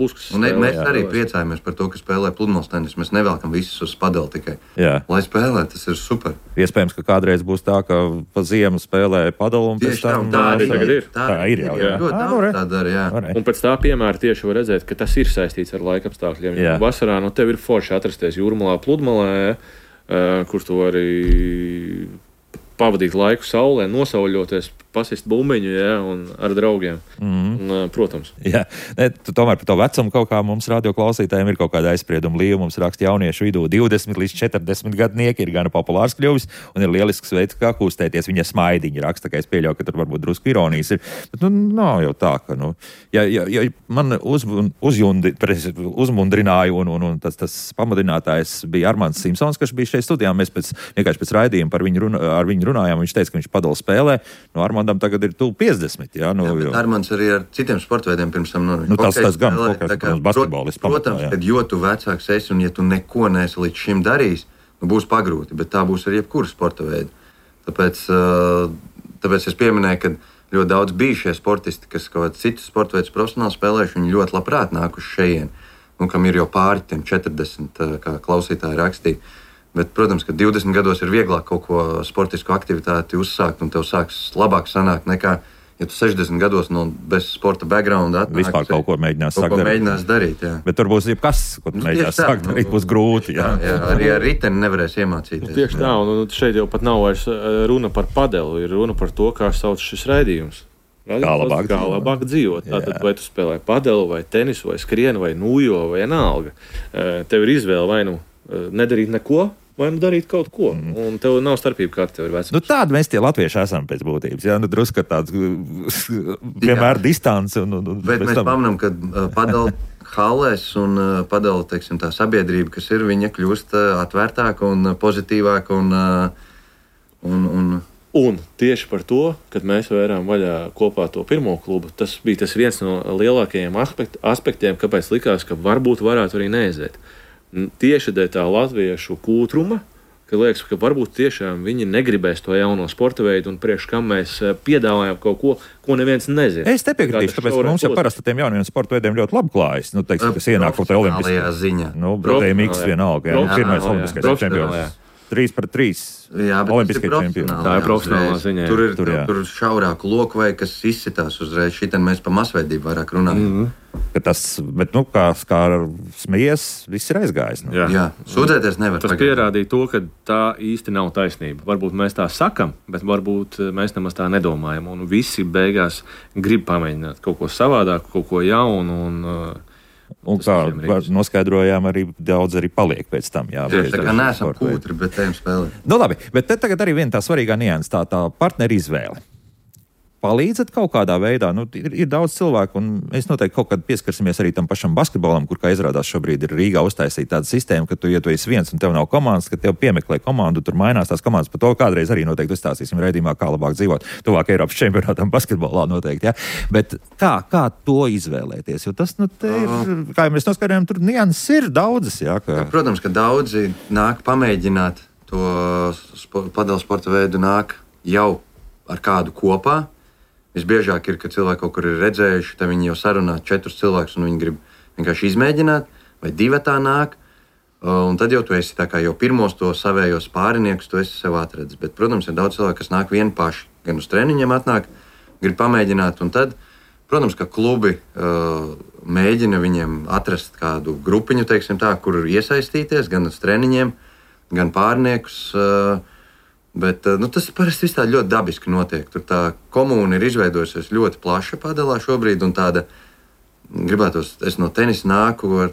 Būs, kas spēlē. Mēs arī priecājamies par to, ka spēlē pludmales tenisu. Mēs nevelkam visus uz padeli tikai. Jā. Lai spēlē, tas ir super. Iespējams, ka kādreiz būs tā, ka pa ziemu spēlē padeli un pēc tam... Tā arī tagad ir. Tā ir jau. Tā dara, jā. Un pēc tā piemēra tieši var redzēt, ka tas ir saistīts ar laikapstākļiem. Vasarā tev ir forši atrasties Jūrmalā pludmalē, kur tu arī pavadīt laiku saulē, nosauļoties, pasist bumbiņu, un ar draugiem. Protams. Jā. Tomēr par to vecumu kaut kā mums radioklausītājiem ir kaut kāda aizsprieduma līnija. Mums raksta jauniešu vidū 20 līdz 40 gadnieki ir gan populārs kļuvis un ir lielisks veids, kā kustēties. Viņa smaidiņi raksta, ka es pieļauju, ka tur varbūt drusku ironijas ir. Bet nav jau tā, ka, ja man uzmundrināja un tas pamudinātājs bija Armands Simpsons, kas bija šeit studijā. Mēs vienkārši pēc raidījuma ar viņu runājām. Viņš teica, ka viņš padala spēlē. Armandam tagad ir 50. Jā, Armands arī ar citiem sportveidiem pirms tam. Tas gan basketbolists. Protams, kad jo tu vecāks esi un ja tu neko neesi līdz šim darījis, būs pagrūti, bet tā būs ar jebkuru sporta veidu. Tāpēc es pieminēju, ka ļoti daudz bijušie sportisti, kas kaut kāds citus sporta veidus profesionāli spēlējuši, viņi ļoti labprāt nāk uz šejien, kam ir jau pāri tiem 40, kā klausītāji rakstīja. Bet, protams, ka 20 gados ir vieglāk kaut ko sportisku aktivitāti uzsākt, un tev sāks labāk sanākt nekā, ja tu 60 gados bez sporta backgrounda atnāk. Vispār kaut ko mēģinās darīt. Jā. Bet tur būs jebkas, ko tu mēģinās sākt darīt, būs grūti. Jā. Arī ar riteni nevarēs iemācīties. Tieši tā, un šeit jau pat nav vairs runa par padeli, ir runa par to, kā sauc šis raidījums. Kā labāk dzīvot. Tātad, vai tu spēlē padeli, vai tenisu, vai skrienu, vai nūjo, vai vienalga. Tev ir izvēle vai nedarīt neko, vai darīt kaut ko. Un tev nav starpība, kāda tev ir vecums. Tādi mēs tie latvieši esam pēc būtības. Jā, drusku tāds vienmēr distants. Bet mēs pamanām, ka padala hallēs un padala, tā sabiedrība, kas ir, viņa kļūst atvērtāka un pozitīvāka Un tieši par to, kad mēs vērām vaļā kopā to pirmo klubu, tas bija tas viens no lielākajiem aspektiem, kāpēc likās, ka varbūt varētu arī neaiziet. Tieši dēļ tā latviešu kūtruma, ka liekas, ka varbūt tiešām viņi negribēs to jauno sporta veidu un priekš kam mēs piedāvājam kaut ko neviens nezina. Es te piekritīšu, tāpēc mums jau parasti tiem jauniem sporta veidiem ļoti labi klājas. Kas ienāk kaut kā olimpiskajā ziņā. Brotējiem X vienalga. Pirmais olimpiskais čempions. 3-3. Jā, bet tas ir profesionāli. Tā ir profesionālā ziņā. Tur šaurāku loku vai kas izsitās uzreiz. Šitien mēs par masveidību vairāk runājam. Bet kā smejies, viss ir aizgājis. Jā, sūdzēties nevar. Tas pierādīja to, ka tā īsti nav taisnība. Varbūt mēs tā sakam, bet varbūt mēs nemaz tā nedomājam. Un visi beigās grib pamēģināt kaut ko savādāk, kaut ko jaunu. Un kā noskaidrojām, arī daudz arī paliek pēc tam. Jā, tā kā neesam kūtri, bet ejam spēlēt. Labi, bet te tagad arī viena tā svarīgā nianse, tā partneru izvēle. Palīdzat kaut kādā veidā. Ir daudz cilvēku, un mēs noteikti kaut kad pieskarsimies arī tam pašam basketbolam, kur, kā izrādās, šobrīd ir Rīgā uztaisīta tāda sistēma, ka ja tu esi viens un tev nav komandas, ka tev piemeklē komandu, tur mainās tās komandas. Par to kādreiz arī noteikti uzstāstīsim raidījumā, kā labāk dzīvot. Tuvāk Eiropas čempionātam basketbolā noteikti. Ja? Bet kā to izvēlēties? Jo tas, kā mēs noskaidrojam, tur nianses ir daudzas. Ja, Protams, ka daudzi nāk pamēģināt to padala sporta veidu, nāk jau ar kādu kopā. Visbiežāk ir, ka cilvēki kaut kur ir redzējuši, tad viņi jau sarunā 4 cilvēkus un viņi grib vienkārši izmēģināt, vai 2 tā nāk. Un tad jau tu esi tā kā jau pirmos to savējos pāriniekus, tu esi sev atradis. Bet, protams, ir daudz cilvēku, kas nāk vieni paši, gan uz treniņiem atnāk, grib pamēģināt. Un tad, protams, ka klubi mēģina viņiem atrast kādu grupiņu, teiksim tā, kur iesaistīties, gan uz treniņiem, gan pārniekus. Bet tas parasti viss tā ļoti dabiski notiek. Tur tā komūna ir izveidojusies ļoti plaša padalā šobrīd, un tāda, gribētos, es no tenisa nāku ar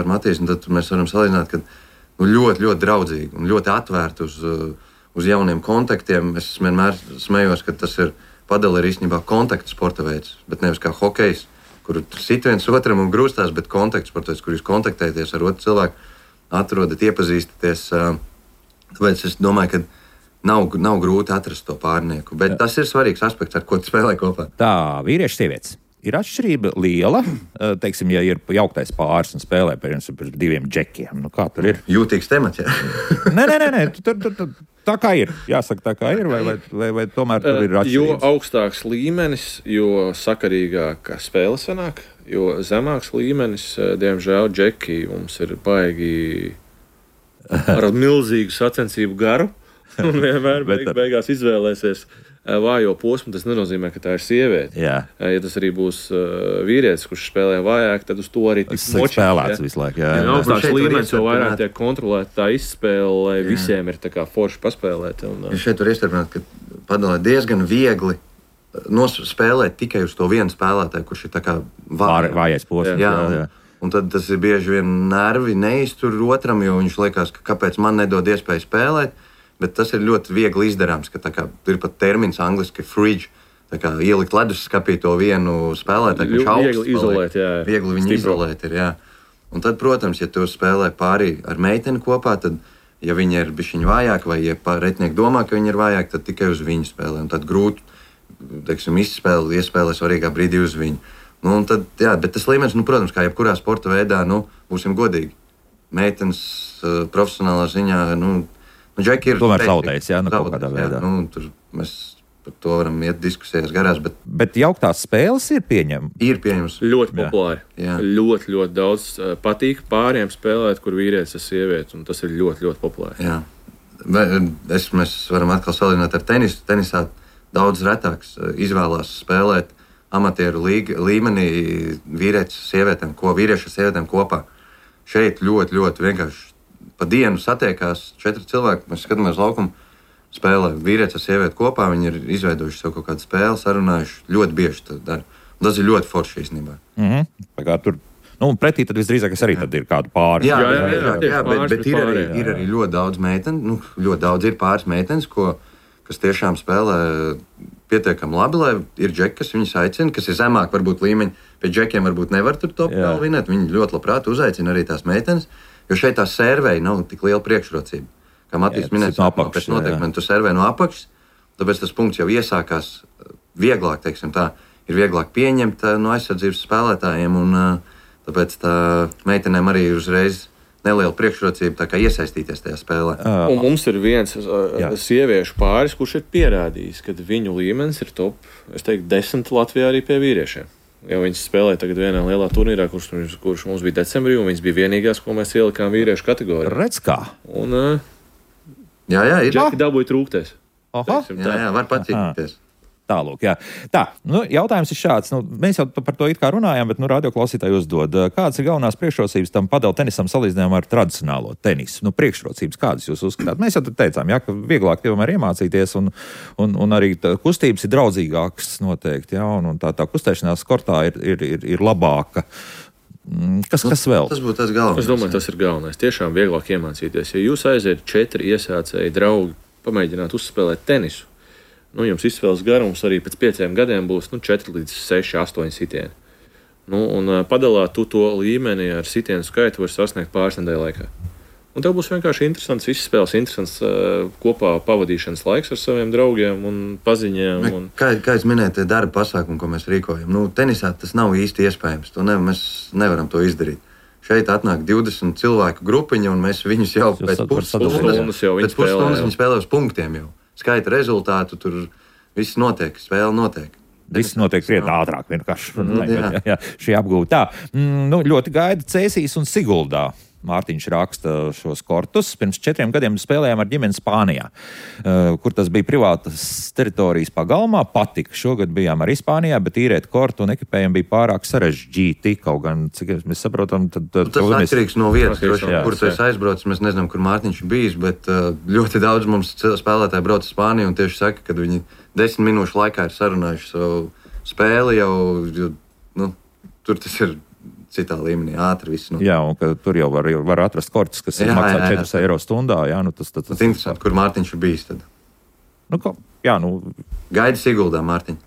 Matīs, un tad mēs varam salīdzināt, ka ļoti, ļoti draudzīgi un ļoti atvērti uz jauniem kontaktiem. Es vienmēr smējos, ka tas ir padala ir īstenībā kontaktu sporta veids, bet nevis kā hokejs, kur sit viens otram un grūstās, bet kontaktu sporta veids, kur jūs kontaktēties ar otru cilvēku, atrodat, iepazīstaties. Tāpēc es domāju, ka nav grūti atrast to pārnieku, bet tas ir svarīgs aspekts, ar ko tu spēlē kopā. Tā, vīrieši, sievietes. Ir atšķirība liela, teiksim, ja ir jauktais pāris un spēlē par 2 džekiem. Kā tur ir? Jūtīgs temats, jā? Nē, tā kā ir. Jāsaka, tā kā ir, vai tomēr tur ir atšķirības? Jo augstāks līmenis, jo sakarīgāk spēle sanāk, jo zemāks līmenis, diemžēl, džeki mums ir baigi ar milzīgu sacensību garu. Un vienmēr beigās izvēlēsies vājo posmu. Tas nenozīmē, ka tā ir sieviete. Jā. Ja tas arī būs vīrietis, kurš spēlē vājāk, tad uz to arī tiks spēlēts visu laiku. Jā. Augstāks līmenis, jo vairāk tiek kontrolēta tā izspēle, lai visiem ir tā kā forši paspēlēt. Šeit var iestarpināt, ka padalē diezgan viegli spēlēt tikai uz to vienu spēlētāju, kurš ir tā kā vājais posms. Jā. Un tad tas ir bieži vien nervi neiztur otram, jo viņš liekas, ka kāpēc man nedod iespēju spēlēt. Bet tas ir ļoti viegli izdarāms, ka ir pat termins angliski fridge. Ielikt leduskapī to vienu spēlētāju, kurš augsts viegli izolēt, jā. Viegli viņu izolēt ir, jā. Un tad, protams, ja tu spēlē pārī ar meiteni kopā, tad, ja viņa ir bišķiņ vājāka, vai ja pretinieki domā, ka viņa ir vājāka, tad tikai uz viņu spēlē. Un tad grūti, iespēlē svarīgā brīdī uz viņu. Un tad, jā, bet tas līmenis, protams, kā jebkurā sporta veidā, būsim godīgi. Meitenes profesionālā ziņā, Džeki ir tomēr zaudējis, kaut kādā veidā. Tur mēs par to varam iet diskusijas garās. Bet jauktās spēles ir pieņemamas. Ir pieņemamas. Ļoti populāri. Ļoti, ļoti daudz patīk pāriem spēlēt, kur vīrietis ir sieviete, un tas ir ļoti, ļoti populāri. Jā. Mēs varam atkal salīdzināt ar tenisu. Tenisā daudz retāks izvēlās spēlēt amatieru līmenī vīriešu sievietēm kopā. Šeit ļoti, ļoti vienkārši. Pa dienu satiekās 4 cilvēki, mēs skatāmies laukumu, spēlē vīrietis ar sievieti kopā, viņi ir izveidojuši sev kaut kādu spēli, sarunājuši, ļoti bieži to dara. Un tas ir ļoti forši īstenībā. Tur, pretī tad visdrīzāk arī tad ir kādu pāri. Jā, bet ir arī ļoti daudz meitenes, ļoti daudz ir pāris meitenes, kas tiešām spēlē pietiekami labi, lai ir džeki, kas viņus aicina, kas ir zemāk varbūt līmeņi, pie džekiem varbūt nevar tur top vinēt, viņi ļoti labprāt uzaicina arī tās meitenes. Jo šeit tā sērvēja nav tik liela priekšrocība. Kā Matīs minēja, pēc noteikumiem tu sērvē no apakšas, tāpēc tas punkts jau iesākās vieglāk, ir vieglāk pieņemt no aizsardzības spēlētājiem, un tāpēc tā meitenēm arī ir uzreiz neliela priekšrocība tā kā iesaistīties tajā spēlē. Un mums ir viens sieviešu pāris, kurš ir pierādījis, ka viņu līmenis ir top, 10 Latvijā arī pie vīriešiem. Jo viņas spēlēja tagad vienā lielā turnīrā, kurš mums bija decembrī, un viņas bija vienīgās, ko mēs ielikām vīriešu kategorijā. Redz kā? Un jā, ir. Džeki dabūja trūkties. Jā, var pacīnīties. Tālūk, jā. Tā, jautājums ir šāds. Mēs jau par to it kā runājām, bet radioklausītāji uzdod, kādas ir galvenās priekšrocības tam padala tenisam salīdzinājumā ar tradicionālo tenisu? Priekšrocības kādas jūs uzskatāt? Mēs jau teicām, ka vieglāk tomēr iemācīties, un arī kustības ir draudzīgākas noteikti, un tā kustēšanās kortā ir labāka. Kas vēl? Tas būtu tas galvenais. Es domāju, tas ir galvenais. Tiešām vieglāk iemācīties. Ja jūs aiziet 4 iesācēji draugi, pamēģināt uzspēlēt tenisu, jums izspēles garums arī pēc 5 gadiem būs 4 līdz 6, 8 sitieni. Un padalā tu to līmeni ar sitienu skaitu var sasniegt pāris nedēļu laikā. Un tev būs vienkārši interesants izspēles, interesants kopā pavadīšanas laiks ar saviem draugiem un paziņiem. Kā es minēju, tie darba pasākumi, ko mēs rīkojam, tenisā tas nav īsti iespējams. Mēs nevaram to izdarīt. Šeit atnāk 20 cilvēku grupiņa, un mēs viņus jau pēc pusstundas spēlē uz punktiem jau. Skaita rezultātu, tur viss notiek, spēle notiek. Viss notiek krietni ātrāk vienkārši. Šī apgūta. Tā, ļoti gaida Cēsīs un Siguldā. Mārtiņš raksta šos kortus. Pirms 4 gadiem spēlējām ar ģimeni Spānijā, kur tas bija privātas teritorijas pagalmā. Patika. Šogad bijām arī Spānijā, bet īrēt kortu un ekipējumu bija pārāk sarežģīti. Kaut gan, cik mēs saprotam, tad tas atkarīgs no vietas, kur tu esi aizbraucis. Mēs nezinām, kur Mārtiņš ir bijis, bet ļoti daudz mums spēlētāji brauc uz Spāniju un tieši saka, ka viņi 10 minūšu laikā ir sarunājuši savu spēli jau, tur tas ir citā līmenī, ātri viss. Jā, un ka tur jau var atrast kortus, kas maksā 4 eiro stundā. Jā, tas interesanti, kur Mārtiņš ir bijis tad. Gaida Siguldā, Mārtiņ.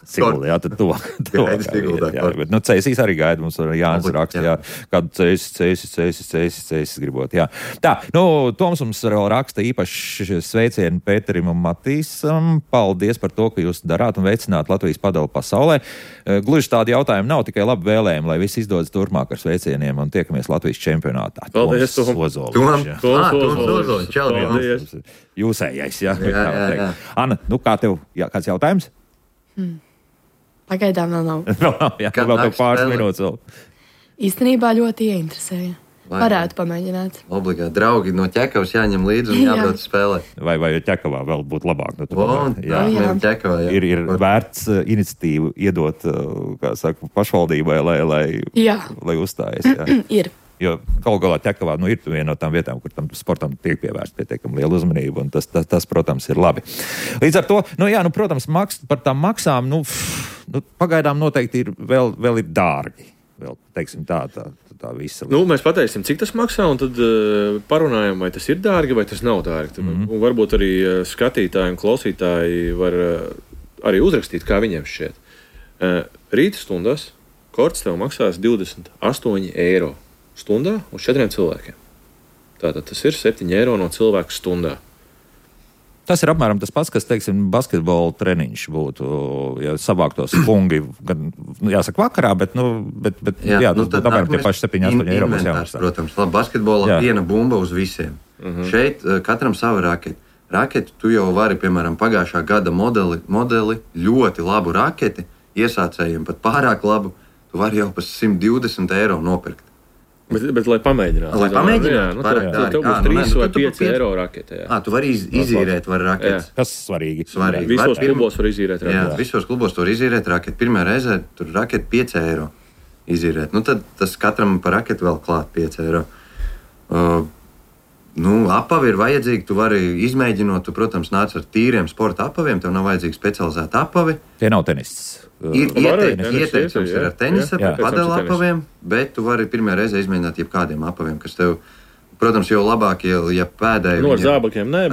Siguldā, jā, tad to. Bet, Cēsīs arī gaida, mums arī Jānis raksta, kādu Cēsis gribot, jā. Tā, Toms mums vēl raksta īpaši sveicienu Pēterim un Matīsam. Paldies par to, ka jūs darāt un veicināt Latvijas padali pasaulē. Gluži tādi jautājumi nav, tikai labi vēlējumi, lai viss izdodas turpmāk ar sveicieniem un tiekamies Latvijas čempionātā. Paldies, Toms Ozoliņš. Paldies. Jūsējais, jā. Anna, kā tev, kāds jautājums? Pagaidām vēl nav. Vēl tev pāris minūtes vēl. Īstenībā ļoti ieinteresēja. Varētu pamēģināt. Obligāti. Draugi no Ķekavas jāņem līdzi un jābrauc spēlēt. Vai Ķekavā vēl būtu labāk? Ķekavā, jā. Ir vērts iniciatīvu iedot, pašvaldībai, lai uzstājas. Ir. Jo galu galā Ķekavā ir viena no tām vietām, kur tam sportam tiek pievērsta pietiekami liela uzmanība, un tas, protams, ir labi. Līdz ar to, protams, par tām maksām, pagaidām noteikti vēl ir dārgi. Vēl, teiksim, tā visa. Mēs pateiksim, cik tas maksā, un tad parunājam, vai tas ir dārgi, vai tas nav dārgi. Un varbūt arī skatītāji un klausītāji var arī uzrakstīt, kā viņiem šķiet. Rīta stundās korts tev maksās 28 eiro stundā uz 4 cilvēkiem. Tātad tas ir 7 eiro no cilvēka stundā. Tas ir apmēram tas pats, kas, teiksim, basketbola treniņš būtu, ja savāktos fungi, gan, jāsaka, vakarā, bet apmēram tie paši 7-8 eiro būs jāmaksā. Protams, basketbolā viena bumba uz visiem. Šeit katram sava raketi. Raketi tu jau vari, piemēram, pagājušā gada modeli, ļoti labu raketi, iesācējiem pat pārāk labu, tu vari jau par 120 eiro nopirkt. Bet lai pamēģinātu. Tev būs 3 vai 5 eiro raketē. Tu vari izīrēt raketes. Tas svarīgi. Visos klubos var izīrēt raketes. Jā, visos klubos var izīrēt raketi. Pirmā reizē tur raketi 5 eiro izīrēt. Tad tas katram par raketi vēl klāt 5 eiro. Apavi ir vajadzīgi, tu vari izmēģinot, tu, protams, nāc ar tīriem sporta apaviem, tev nav vajadzīgi specializēta apavi. Tie nav tenists. Ir ieteicams ar tenisa, padala apaviem, bet tu vari pirmajā reizē izmēģināt jebkādiem apaviem, kas tev, protams, jau labāk, ja pēdēji... Ar zābakiem nē,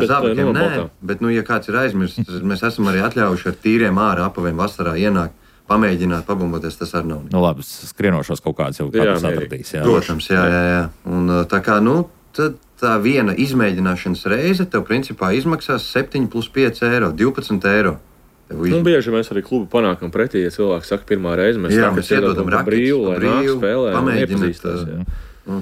bet ja kāds ir aizmirsts, mēs esam arī atļaujuši ar tīriem ārā apaviem vasarā ienākt, pamēģināt, pabumboties, tas arī nav. Labi, skrienošos kaut kāds jau kāds atradīs. Protams, jā. Un tā kā, tad tā viena izmēģināšanas reize tev principā izmaksās 7 plus 5 eiro, 12 eiro. Bieži mēs arī klubu panākam pretī, ja cilvēks saka pirmā reize, mēs iedodam brīvu, lai nāk spēlē un iepazīstās.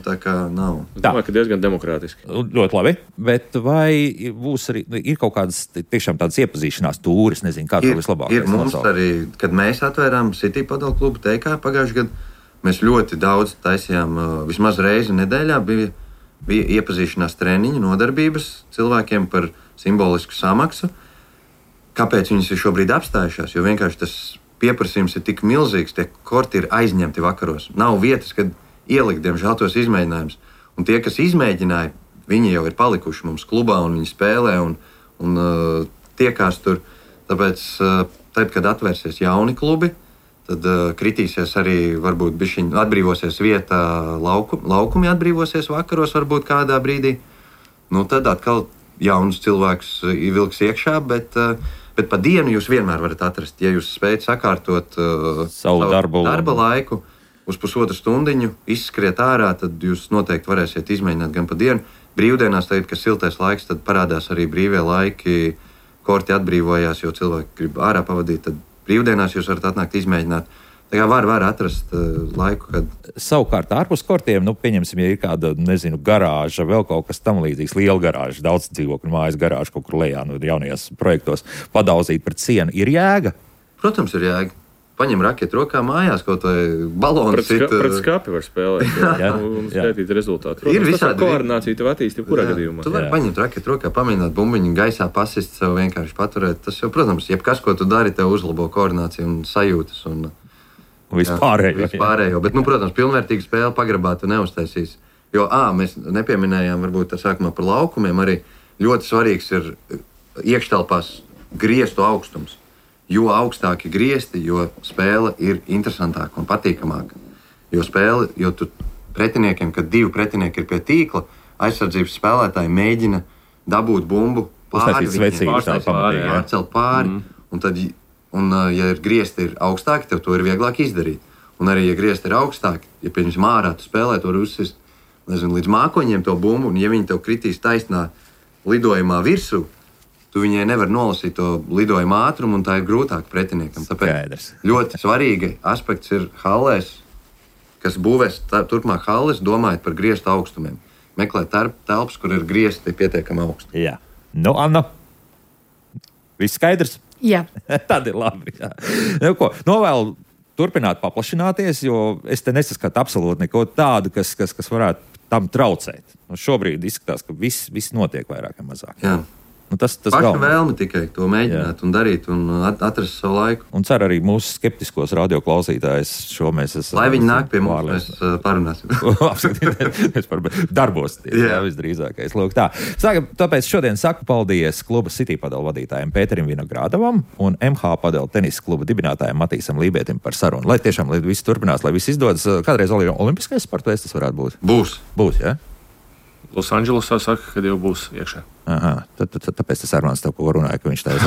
Tā kā nav. Es domāju, ka diezgan demokrātiski. Ļoti labi, bet vai būs arī, ir kaut kādas tiešām tādas iepazīšanās tūris, nezinu, kā to vislabāk? Ir mums arī, kad mēs atvērām City Padel klubu TK pagājušajā gadā, mēs ļoti daudz taisījām, vismaz reizi nedēļā bija iepazīšanās treniņu, nodarbības cilvēkiem par simbolisku samaksu. Kāpēc viņas ir šobrīd apstājušās? Jo vienkārši tas pieprasījums ir tik milzīgs, tie korti ir aizņemti vakaros. Nav vietas, kad ielikt, diemžēl, tos izmēģinājumus. Un tie, kas izmēģināja, viņi jau ir palikuši mums klubā un viņi spēlē un tiekās tur. Tāpēc, tad, kad atvērsies jauni klubi, tad kritīsies arī, varbūt bišķiņ atbrīvosies vieta, laukumi atbrīvosies vakaros varbūt kādā brīdī. Tad atkal jaunus cilvēkus vilks iekšā, bet pa dienu jūs vienmēr varat atrast. Ja jūs spējat sakārtot savu darba laiku uz pusotru stundiņu, izskriet ārā, tad jūs noteikti varēsiet izmēģināt gan pa dienu. Brīvdienās, tagad, kad siltais laiks, tad parādās arī brīvie laiki, korti atbrīvojās, jo cilvēki grib ārā pavadīt, tad brīvdienās jūs varat atnākt izmēģināt. Tā kā var atrast laiku, kad... Savukārt, ārpus kortiem, pieņemsim, ja ir kāda, garāža, vēl kaut kas tam līdzīgs, liela garāža, daudz dzīvokļu mājas garāža kaut kur lejā, jaunajos projektos padauzīt pret sienu, ir jēga? Protams, ir jēga. paņem raketi rokā mājās, kaut vai balonu pret skapi var spēlēt un skaitīt rezultātu. Ir visādi koordinācija tev attīst jebkurā gadījumā. Tu vari paņemt raketi rokā, pamēģināt bumbiņu gaisā pasist sev vienkārši paturēt. Tas jau, protams, jebkas, ko tu dari, tev uzlabo koordināciju un sajūtas un vispārējo. Bet, protams, pilnvērtīga spēle pagrabā tu neuztaisīs. Jo, mēs nepieminējām varbūt sākumā par laukumiem, arī ļoti svarīgs ir iekštelpās griestu augstums. Jo augstāki griesti, jo spēle ir interesantāka un patīkamāka. Jo tu pretiniekiem, kad divi pretinieki ir pie tīkla, aizsardzības spēlētāji mēģina dabūt bumbu pāri pārcelt pāri. Ja ir griesti ir augstāki, tev to ir vieglāk izdarīt. Un arī, ja griesti ir augstāki, ja piemēram ārā tu spēlē, to var uzsist līdz mākoņiem to bumbu, un ja viņi tev kritīs taisnā lidojumā virsū, tu viņai nevar nolasīt to lidojuma ātrumu, un tā ir grūtāk pretiniekam. Tāpēc ļoti svarīgi aspekts ir hallēs, kas būvēs turpmāk halles, domājot par griestu augstumiem. Meklēt telpas, kur ir griesti pietiekami augsti. Jā. Anna, viss skaidrs? Jā. Tad ir labi. Jā. Novēlu turpināt paplašināties, jo es te nesaskatu absolūti neko tādu, kas varētu tam traucēt. Šobrīd izskatās, ka viss notiek vairāk vai mazāk. Jā. Tas paša vēlme tikai to mēģināt un darīt un atrast savu laiku. Un ceru arī mūsu skeptiskos radioklausītājus šo mēs esam. Lai viņi nāk pie mums, mēs parunāsim. Mēs darbos visdrīzākais. Lūk, tā. Tāpēc šodien saku paldies kluba City padelu vadītājiem Pēterim Vinogrādam un MH padelu tenisa kluba dibinātājiem Matīsam Lībietim par sarunu. Lai tiešām viss turpinās, lai viss izdodas. Kādreiz olimpiskais sporta veids tas varētu būt? Būs, jā? Losandželosā saka, ka jau būs iekšā. Aha, tāpēc tas Armāns tev ko runāja, ka viņš tā ir.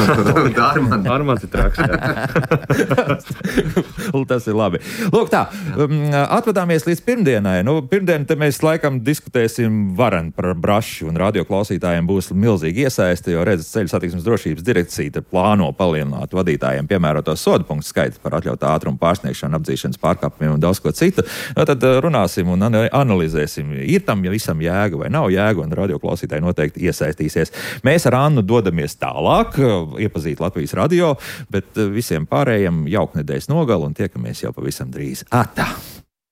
Armāns ir traks. Tas ir labi. Lūk tā, atvadāmies līdz pirmdienai. Pirmdien te mēs laikam diskutēsim varen par braši, un radioklausītājiem būs milzīgi iesaisti, jo redzat, Ceļu satiksmes drošības direkcija plāno palielināt vadītājiem piemēroto sodu punktu skaitu par atļautā ātruma pārsniegšanu, apdzīšanas pārkāpumiem un daudz ko citu. Tad runāsim un analizēsim, ir tam visam jēga vai nav jēga, un radioklausītāji noteikti iesaistīsies. Mēs ar Annu dodamies tālāk, iepazīt Latvijas radio, bet visiem pārējiem jauku nedēļas nogalu un tiekamies jau pavisam drīz. Atā!